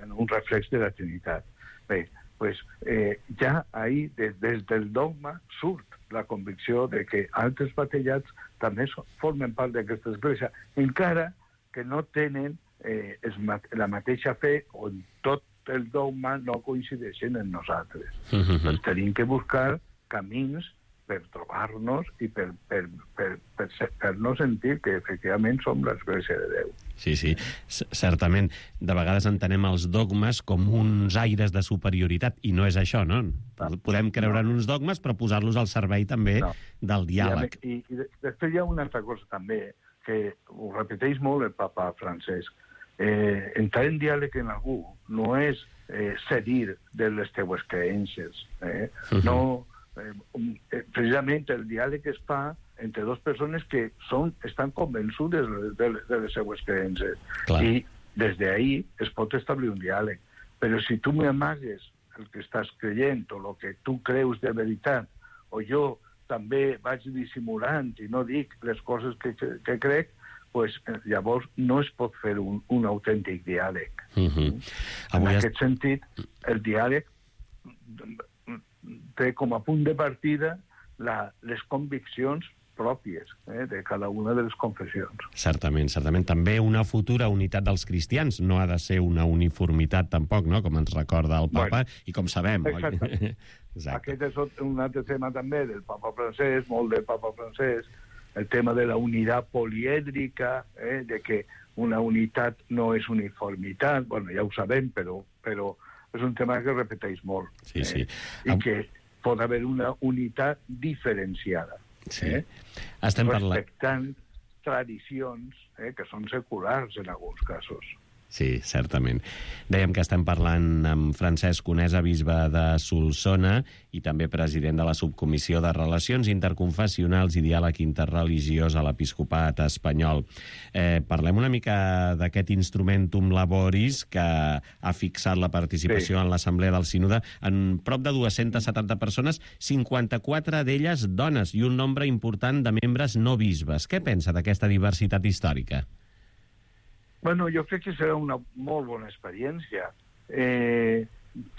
en un reflex de la Trinitat. Bé, pues, eh, ja ahí, des, des del dogma, surt la convicció de que altres batejats també so, formen part d'aquesta Església, encara que no tenen eh, es, la mateixa fe o tot el dogma no coincideixen en nosaltres. Uh-huh. Doncs tenim que buscar camins per trobar-nos i per, per, per, per, per no sentir que efectivament som l'Església de Déu. Sí, sí, C certament. De vegades entenem els dogmes com uns aires de superioritat, i no és això, no? Podem creure en uns dogmes, però posar-los al servei també no. del diàleg. I, i, I després hi ha una altra cosa també, que ho repeteix molt el papa Francesc. eh, entrar en diàleg amb algú no és eh, cedir de les teues creences. Eh? Uh-huh. No, eh, eh, precisament el diàleg es fa entre dues persones que són, estan convençudes de, de, de les seues creences. Clar. I des d'ahir es pot establir un diàleg. Però si tu m'amagues el que estàs creient o el que tu creus de veritat, o jo també vaig dissimulant i no dic les coses que, que, que crec, pues, llavors no es pot fer un, un autèntic diàleg. Uh-huh. En Avui aquest es... sentit, el diàleg té com a punt de partida la, les conviccions pròpies eh, de cada una de les confessions. Certament, certament. També una futura unitat dels cristians no ha de ser una uniformitat tampoc, no?, com ens recorda el papa, bueno, i com sabem. Exacte. Aquest és un altre tema també del papa francès, molt del papa francès, el tema de la unitat polièdrica, eh, de que una unitat no és uniformitat, bueno, ja ho sabem, però, però és un tema que repeteix molt. Sí, sí. Eh, I Am... que pot haver una unitat diferenciada. Sí. Eh? Estem respectant parlant... tradicions eh, que són seculars en alguns casos. Sí, certament. Dèiem que estem parlant amb Francesc Conesa, bisbe de Solsona i també president de la Subcomissió de Relacions Interconfessionals i Diàleg Interreligiós a l'Episcopat espanyol. Eh, parlem una mica d'aquest instrumentum laboris que ha fixat la participació sí. en l'Assemblea del Sínode en prop de dues-centes setanta persones, cinquanta-quatre d'elles dones i un nombre important de membres no bisbes. Què pensa d'aquesta diversitat històrica? Bueno, jo crec que serà una molt bona experiència. Eh,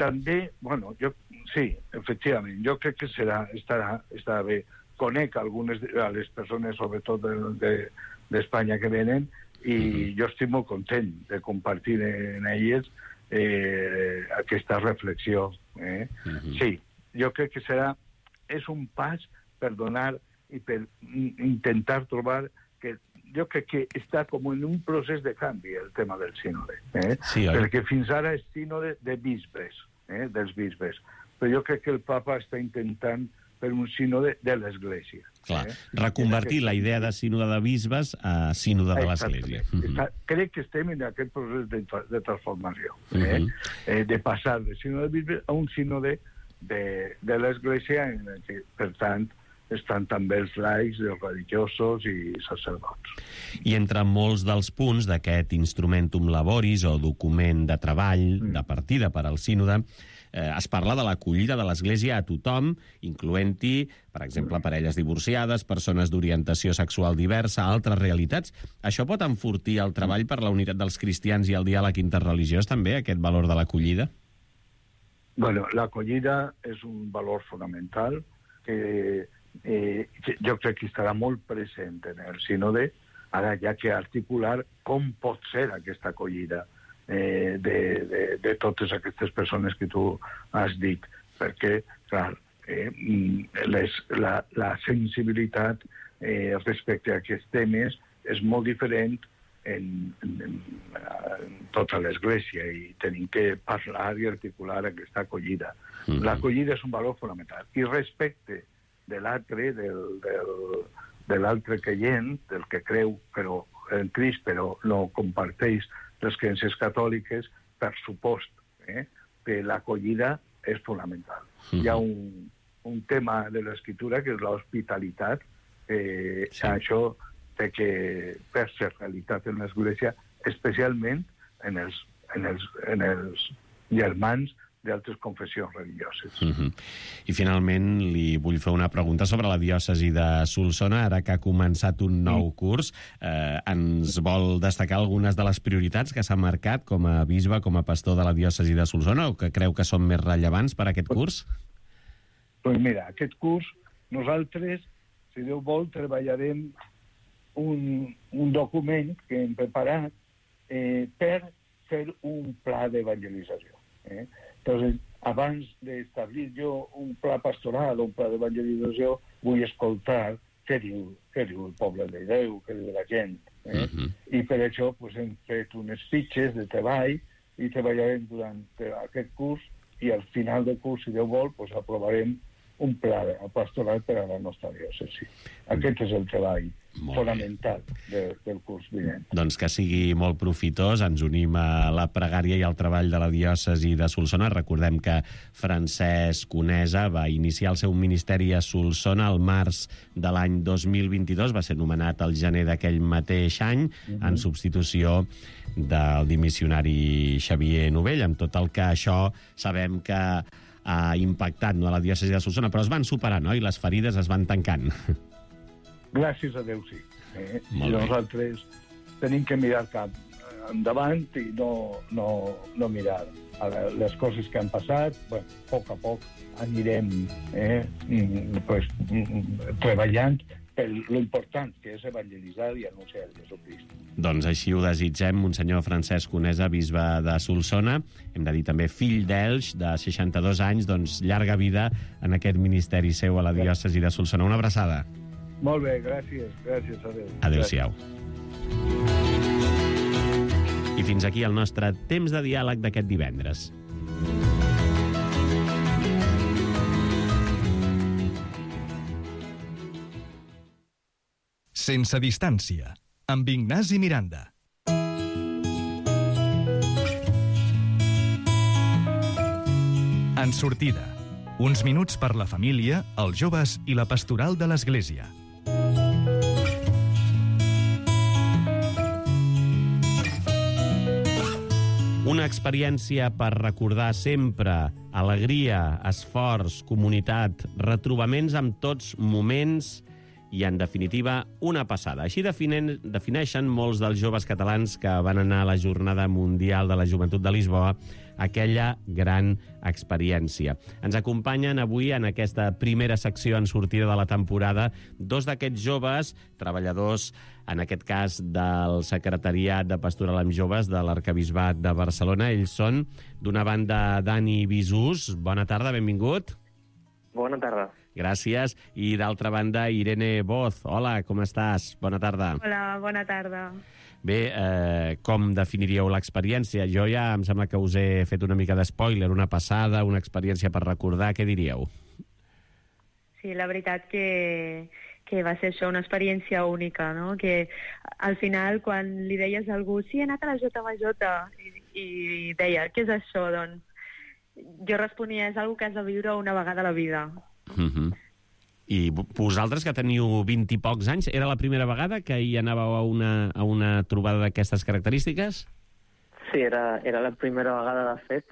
també, bueno, jo, sí, efectivament, jo crec que serà, estarà, estarà bé. Conec algunes de les persones, sobretot d'Espanya, de, que venen, i mm-hmm. jo estic molt content de compartir en elles eh, aquesta reflexió. Eh? Mm-hmm. Sí, jo crec que serà, és un pas per donar i per intentar trobar que jo crec que està com en un procés de canvi el tema del sínode, eh? Sí, perquè fins ara és sínode de bisbes, eh? dels bisbes, però jo crec que el papa està intentant per un sínode de l'Església. Clar, eh? reconvertir la idea de sínode de bisbes a sínode de l'Església. Mm-hmm. Crec que estem en aquest procés de, de transformació, eh? Mm-hmm. eh, de passar de sínode de bisbes a un sínode de, de l'Església, en el que, per tant, estan també els laics, els religiosos i sacerdots. I entre molts dels punts d'aquest instrumentum laboris o document de treball, mm. de partida per al sínode, eh, es parla de l'acollida de l'Església a tothom, incloent-hi, per exemple, parelles divorciades, persones d'orientació sexual diversa, altres realitats. Això pot enfortir el treball per la unitat dels cristians i el diàleg interreligiós, també, aquest valor de l'acollida? Bueno, l'acollida és un valor fonamental que Eh, jo crec que estarà molt present en el sínode, ara ja que articular com pot ser aquesta acollida eh, de, de, de totes aquestes persones que tu has dit, perquè, clar, eh, les, la, la sensibilitat eh, respecte a aquests temes és molt diferent en, en, en tota l'Església i tenim que parlar i articular aquesta acollida. Mm-hmm. L'acollida és un valor fonamental. I respecte de l'altre, del, del, de l'altre creient, del que creu però en Crist, però no comparteix les creences catòliques, per supost, eh, que l'acollida és fonamental. Mm-hmm. Hi ha un, un tema de l'Escriptura que és l'hospitalitat, eh, sí. Això té que per ser realitat en l'Església, especialment en els, en els, en els germans d'altres confessions religioses. Uh-huh. I finalment li vull fer una pregunta sobre la diòcesi de Solsona, ara que ha començat un nou mm. curs. Eh, ens vol destacar algunes de les prioritats que s'ha marcat com a bisbe, com a pastor de la diòcesi de Solsona, o que creu que són més rellevants per a aquest curs? Doncs mira, aquest curs nosaltres, si Déu vol, treballarem un, un document que hem preparat eh, per fer un pla d'evangelització. Eh? Entonces, abans d'establir jo un pla pastoral o un pla d'evangelització, vull escoltar què diu, què diu el poble de Déu, què diu la gent. Eh? Uh-huh. I per això pues, hem fet unes fitxes de treball i treballarem durant aquest curs i al final del curs, si Déu vol, pues, aprovarem un pla pastoral per a la nostra diòcesi. Aquest és el treball fonamental de, del curs vinent. Doncs que sigui molt profitós. Ens unim a la pregària i al treball de la diòcesi de Solsona. Recordem que Francesc Conesa va iniciar el seu ministeri a Solsona al març de l'any dos mil vint-i-dos. Va ser nomenat al gener d'aquell mateix any, uh-huh. en substitució del dimissionari Xavier Novell, amb tot el que això sabem que ha impactat, no, a la diòcesi de Solsona, però es van superar, no?, i les ferides es van tancant. Gràcies a Déu, sí. Eh? Molt I bé. nosaltres tenim que mirar cap endavant i no, no, no mirar a les coses que han passat. Bueno, a poc a poc anirem eh, pues, treballant per l'important que és evangelitzar i anunciar Jesucrist. Doncs així ho desitgem, Monsenyor Francesc Conesa, bisbe de Solsona. Hem de dir també fill d'Elx, de seixanta-dos anys, doncs llarga vida en aquest ministeri seu a la diòcesi de Solsona. Una abraçada. Molt bé, gràcies. Gràcies, adéu. Adéu-siau. I fins aquí el nostre temps de diàleg d'aquest divendres. Sense distància, amb Ignasi Miranda. En sortida, uns minuts per la família, els joves i la pastoral de l'Església. Una experiència per recordar sempre alegria, esforç, comunitat, retrobaments amb tots moments i, en definitiva, una passada. Així definen, defineixen molts dels joves catalans que van anar a la Jornada Mundial de la Joventut de Lisboa aquella gran experiència. Ens acompanyen avui en aquesta primera secció en sortida de la temporada dos d'aquests joves, treballadors, en aquest cas del Secretariat de Pastoral amb Joves de l'Arquebisbat de Barcelona. Ells són, d'una banda, Dani Bisús. Bona tarda, benvingut. Bona tarda. Gràcies. I d'altra banda, Irene Boz. Hola, com estàs? Bona tarda. Hola, bona tarda. Bé, eh, com definiríeu l'experiència? Jo ja em sembla que us he fet una mica d'espoiler, una passada, una experiència per recordar. Què diríeu? Sí, la veritat que, que va ser això, una experiència única, no? Que al final, quan li deies a algú sí, he anat a la J M J, i, i deia, què és això? Doncs jo responia, és una cosa que has de viure una vegada a la vida. Uh-huh. I vosaltres, que teniu vint i pocs anys, era la primera vegada que hi anàveu a una, a una trobada d'aquestes característiques? Sí, era, era la primera vegada, de fet.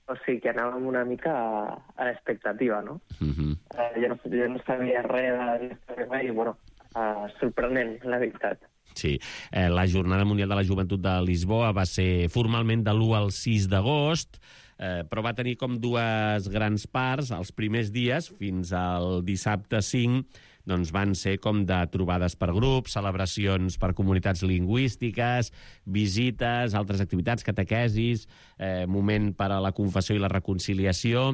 O sigui que anàvem una mica a, a l'expectativa, no? Uh-huh. uh, jo, no jo no sabia res de res i, bueno, uh, sorprenent, la veritat. Sí, eh, la Jornada Mundial de la Joventut de Lisboa va ser formalment de l'u al sis d'agost, eh, però va tenir com dues grans parts. Els primers dies, fins al dissabte cinc, doncs van ser com de trobades per grups, celebracions per comunitats lingüístiques, visites, altres activitats, catequesis, eh, moment per a la confessió i la reconciliació.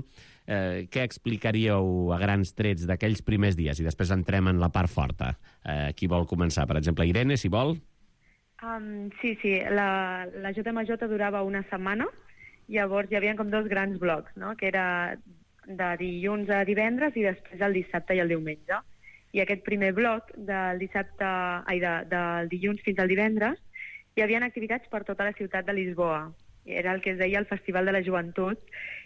Eh, què explicaríeu a grans trets d'aquells primers dies? I després entrem en la part forta. Eh, qui vol començar? Per exemple, Irene, si vol. Um, sí, sí. La, la J M J durava una setmana. Llavors hi havia com dos grans blocs, no? Que era de dilluns a divendres i després el dissabte i el diumenge. I aquest primer bloc, del dissabte, ai, de, del dilluns fins al divendres, hi havia activitats per tota la ciutat de Lisboa. Era el que es deia el Festival de la Joventut,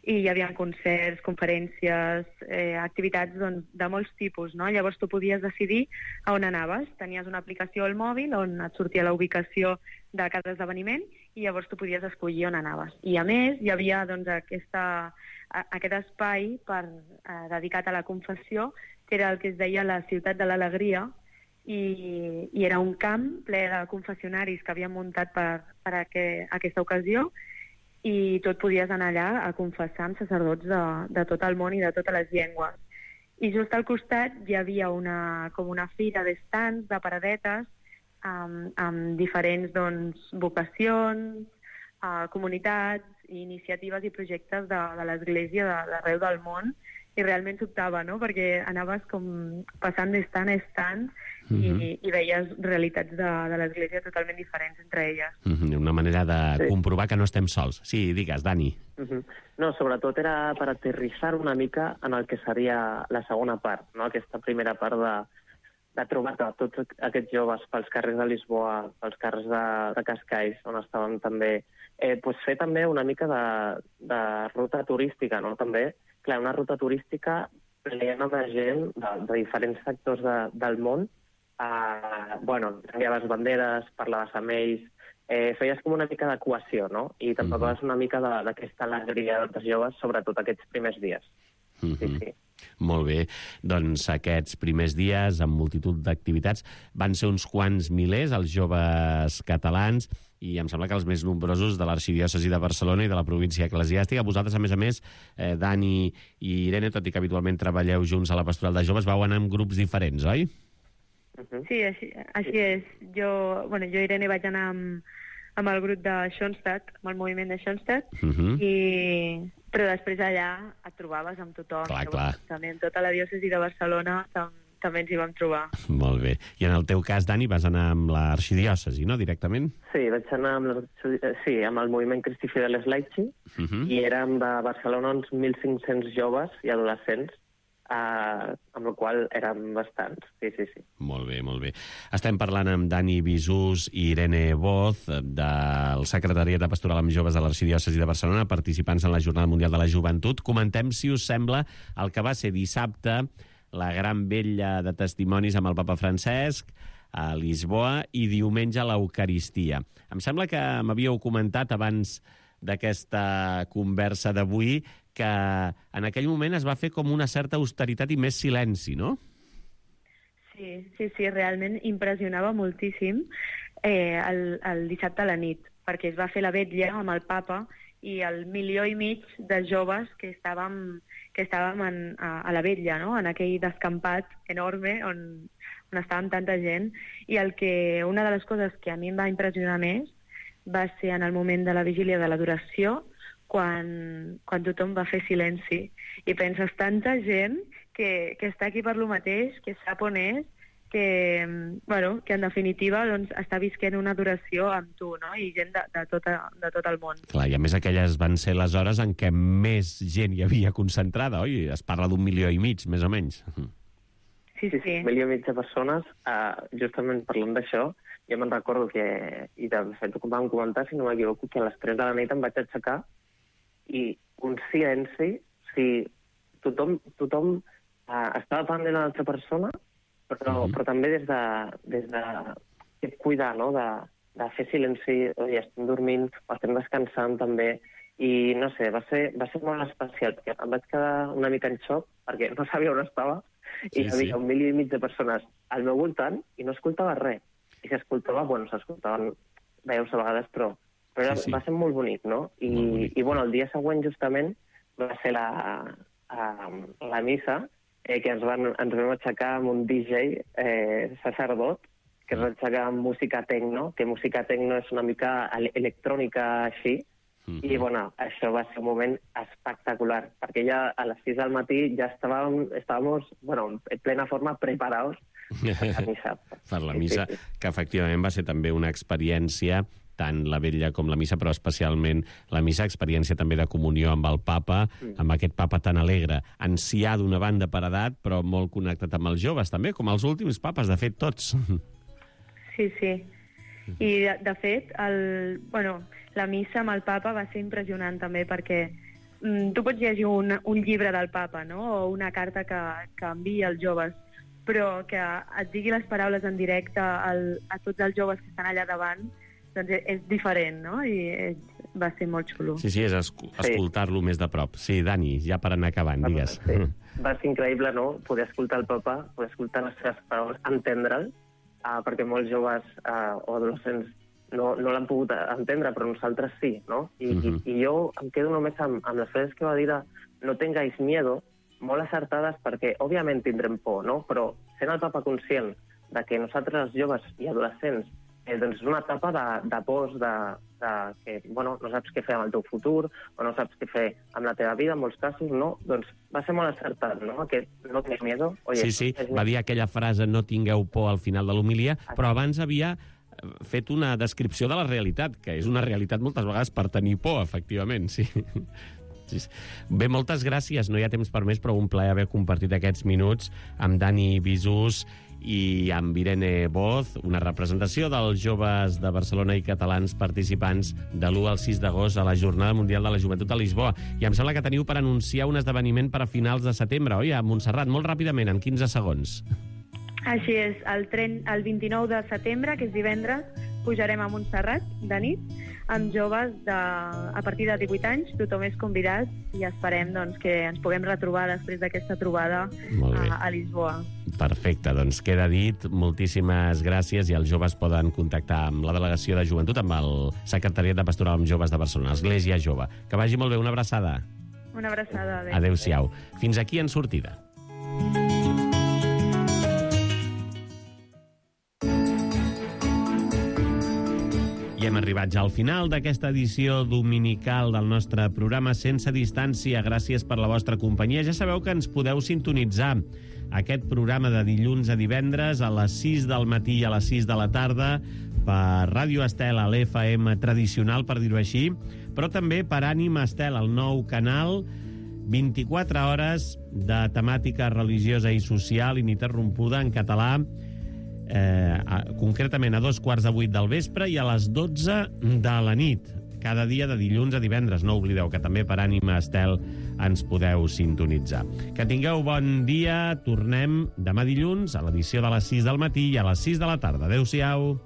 i hi havia concerts, conferències, eh, activitats doncs, de molts tipus, no? Llavors tu podies decidir a on anaves. Tenies una aplicació al mòbil on et sortia la ubicació de cada esdeveniment i llavors tu podies escollir on anaves. I a més hi havia doncs, aquesta, a, aquest espai per, eh, dedicat a la confessió, que era el que es deia la Ciutat de l'Alegria, i, i era un camp ple de confessionaris que havien muntat per, per a que, aquesta ocasió, i tu et podies anar allà a confessar amb sacerdots de, de tot el món i de totes les llengües. I just al costat hi havia una, com una fira d'estants, de paradetes, amb, amb diferents doncs, vocacions, uh, comunitats, iniciatives i projectes de, de l'Església d'arreu del món, i realment sobtava, no? Perquè anaves com passant d'estant a estant i, Mhm. i veies realitats de, de l'Església totalment diferents entre elles. Mhm, una manera de Sí. comprovar que no estem sols. Sí, digues, Dani. Mhm. No, sobretot era per aterrissar una mica en el que seria la segona part, no? Aquesta primera part de, de trobar tots aquests joves pels carrers de Lisboa, pels carrers de, de Cascais, on estàvem també. Eh, pues fer també una mica de, de ruta turística, no? També, clar, una ruta turística plena de gent de, de diferents sectors de, del món. Uh, bueno, canviaves banderes, parlaves amb ells, eh, feies com una mica de cohesió, no? I tampoc Mhm. vas una mica de- d'aquesta alegria dels joves, sobretot aquests primers dies. Mhm. Sí, sí. Molt bé. Doncs aquests primers dies, amb multitud d'activitats, van ser uns quants milers, els joves catalans, i em sembla que els més nombrosos de l'arxidiòcesi de Barcelona i de la província eclesiàstica. Vosaltres, a més a més, eh, Dani i Irene, tot i que habitualment treballeu junts a la pastoral de joves, vau anar en grups diferents, oi? Sí, així, així és. Jo, bueno, jo Irene vaig anar amb, amb el grup de Schoenstatt, amb el moviment de Schoenstatt, Mhm. i, però després allà et trobaves amb tothom. Clar, Llavors, clar. També en tota la diòcesi de Barcelona tam, també ens hi vam trobar. Molt bé. I en el teu cas, Dani, vas anar amb l'arxidiòcesi, no?, directament? Sí, vaig anar amb, la, sí, amb el moviment Cristi Fideles Laici, Mhm. i érem de Barcelona uns mil cinc-cents joves i adolescents, eh, amb el qual érem bastants. Sí, sí, sí. Molt bé, molt bé. Estem parlant amb Dani Bisús i Irene Boz, del Secretariat de Pastoral amb Joves de l'Arxidiòcesi de Barcelona, participants en la Jornada Mundial de la Joventut. Comentem, si us sembla, el que va ser dissabte, la gran vetlla de testimonis amb el papa Francesc a Lisboa, i diumenge l'Eucaristia. Em sembla que m'havíeu comentat abans d'aquesta conversa d'avui que en aquell moment es va fer com una certa austeritat i més silenci, no? Sí, sí, sí, realment impressionava moltíssim eh, el, el dissabte a la nit, perquè es va fer la vetlla amb el papa i el milió i mig de joves que estàvem, que estàvem en, a, a la vetlla, no? En aquell descampat enorme on, on estàvem tanta gent. I el que, una de les coses que a mi em va impressionar més va ser en el moment de la vigília de l'adoració, quan, quan tothom va fer silenci. I penses, tanta gent que, que està aquí per lo mateix, que sap on és, que, bueno, que en definitiva doncs, està visquent una adoració amb tu, no? I gent de, de, tota, de tot el món. Clar, i a més aquelles van ser les hores en què més gent hi havia concentrada, oi? Es parla d'un milió i mig, més o menys. Sí, sí. Un milió i mig de persones, uh, justament parlant d'això, jo me'n recordo que, i de fet ho vam comentar, si no m'equivoco, que a les tres de la nit em vaig aixecar i un silenci, si tothom, tothom uh, estava pendent de l'altra persona, però, mm-hmm. però també des de, des de cuidar, no?, de, de fer silenci, oi, estem dormint, o estem descansant també, i no sé, va ser, va ser molt especial, perquè em vaig quedar una mica en xoc, perquè no sabia on estava, i Sí, hi havia sí. un milió i mig de persones al meu voltant i no escoltava res. I si escoltava, bueno, s'escoltaven veus a vegades, però, però era, Sí, sí. va ser molt bonic, no? I, Molt bonic. i bueno, el dia següent, justament, va ser la, a, la missa, eh, que ens, van, ens vam aixecar amb un D J eh, sacerdot, que ens va aixecar amb música tecno, que música tecno és una mica ele- electrònica així, Mhm. i bueno, això va ser un moment espectacular, perquè ja a les sis del matí ja estàvem, estàvem bueno, en plena forma preparados per la missa. Per la Sí, missa, sí, sí. que efectivament va ser també una experiència, tant la vetlla com la missa, però especialment la missa, experiència també de comunió amb el papa, Mm. amb aquest papa tan alegre, ancià d'una banda per edat, però molt connectat amb els joves també, com els últims papes, de fet, tots. Sí, sí. I, de, de fet, el, bueno, la missa amb el papa va ser impressionant també perquè mm, tu pots llegir un, un llibre del papa, no?, o una carta que, que envia als joves, però que et digui les paraules en directe al, a tots els joves que estan allà davant, doncs és, és diferent, no? I és, va ser molt xulo. Sí, sí, és escu escoltar-lo més de prop. Sí, Dani, ja per anar acabant, digues. Sí. Va ser increïble, no?, poder escoltar el papa, poder escoltar les seves paraules, entendre'l, uh, perquè molts joves uh, o adolescents no, no l'han pogut entendre, però nosaltres sí, no? I, uh -huh. i, i jo em quedo només amb, amb les frases que va dir de no tengáis miedo, molt acertades, perquè òbviament tindrem por, no? Però sent el papa conscient de que nosaltres, els joves i adolescents, eh, doncs és una etapa de, de pors, de, de que, bueno, no saps què fer amb el teu futur, o no saps què fer amb la teva vida, en molts casos, no? Doncs va ser molt acertat, no? Aquest no tenir miedo. Oye, sí, sí, va dir aquella frase no tingueu por al final de l'homilia, però abans havia fet una descripció de la realitat, que és una realitat moltes vegades per tenir por, efectivament, sí. Bé, moltes gràcies, no hi ha temps per més, però un plaer haver compartit aquests minuts amb Dani Bisús i amb Irene Boz, una representació dels joves de Barcelona i catalans participants de l'u al sis d'agost a la Jornada Mundial de la Joventut a Lisboa. I em sembla que teniu per anunciar un esdeveniment per a finals de setembre, oi? A Montserrat, molt ràpidament, en quinze segons. Així és, el, tren, el vint-i-nou de setembre, que és divendres, pujarem a Montserrat de nit amb joves de, a partir de divuit anys, tothom és convidat i esperem doncs, que ens puguem retrobar després d'aquesta trobada a, a Lisboa. Perfecte, doncs queda dit, moltíssimes gràcies i els joves poden contactar amb la delegació de joventut, amb el Secretariat de Pastoral amb Joves de Barcelona, Església Jove. Que vagi molt bé, una abraçada. Una abraçada. Adéu. Adéu-siau. Fins aquí en sortida. I hem arribat ja al final d'aquesta edició dominical del nostre programa Sense Distància. Gràcies per la vostra companyia. Ja sabeu que ens podeu sintonitzar aquest programa de dilluns a divendres a les sis del matí i a les sis de la tarda per Ràdio Estel, a l'F M tradicional, per dir-ho així, però també per Ànima Estel, el nou canal, vint-i-quatre hores de temàtica religiosa i social ininterrompuda en català, Eh, a, concretament a dos quarts de vuit del vespre i a les dotze de la nit, cada dia de dilluns a divendres. No oblideu que també per Ànima Estel ens podeu sintonitzar. Que tingueu bon dia, tornem demà dilluns a l'edició de les sis del matí i a les sis de la tarda. Adéu-siau.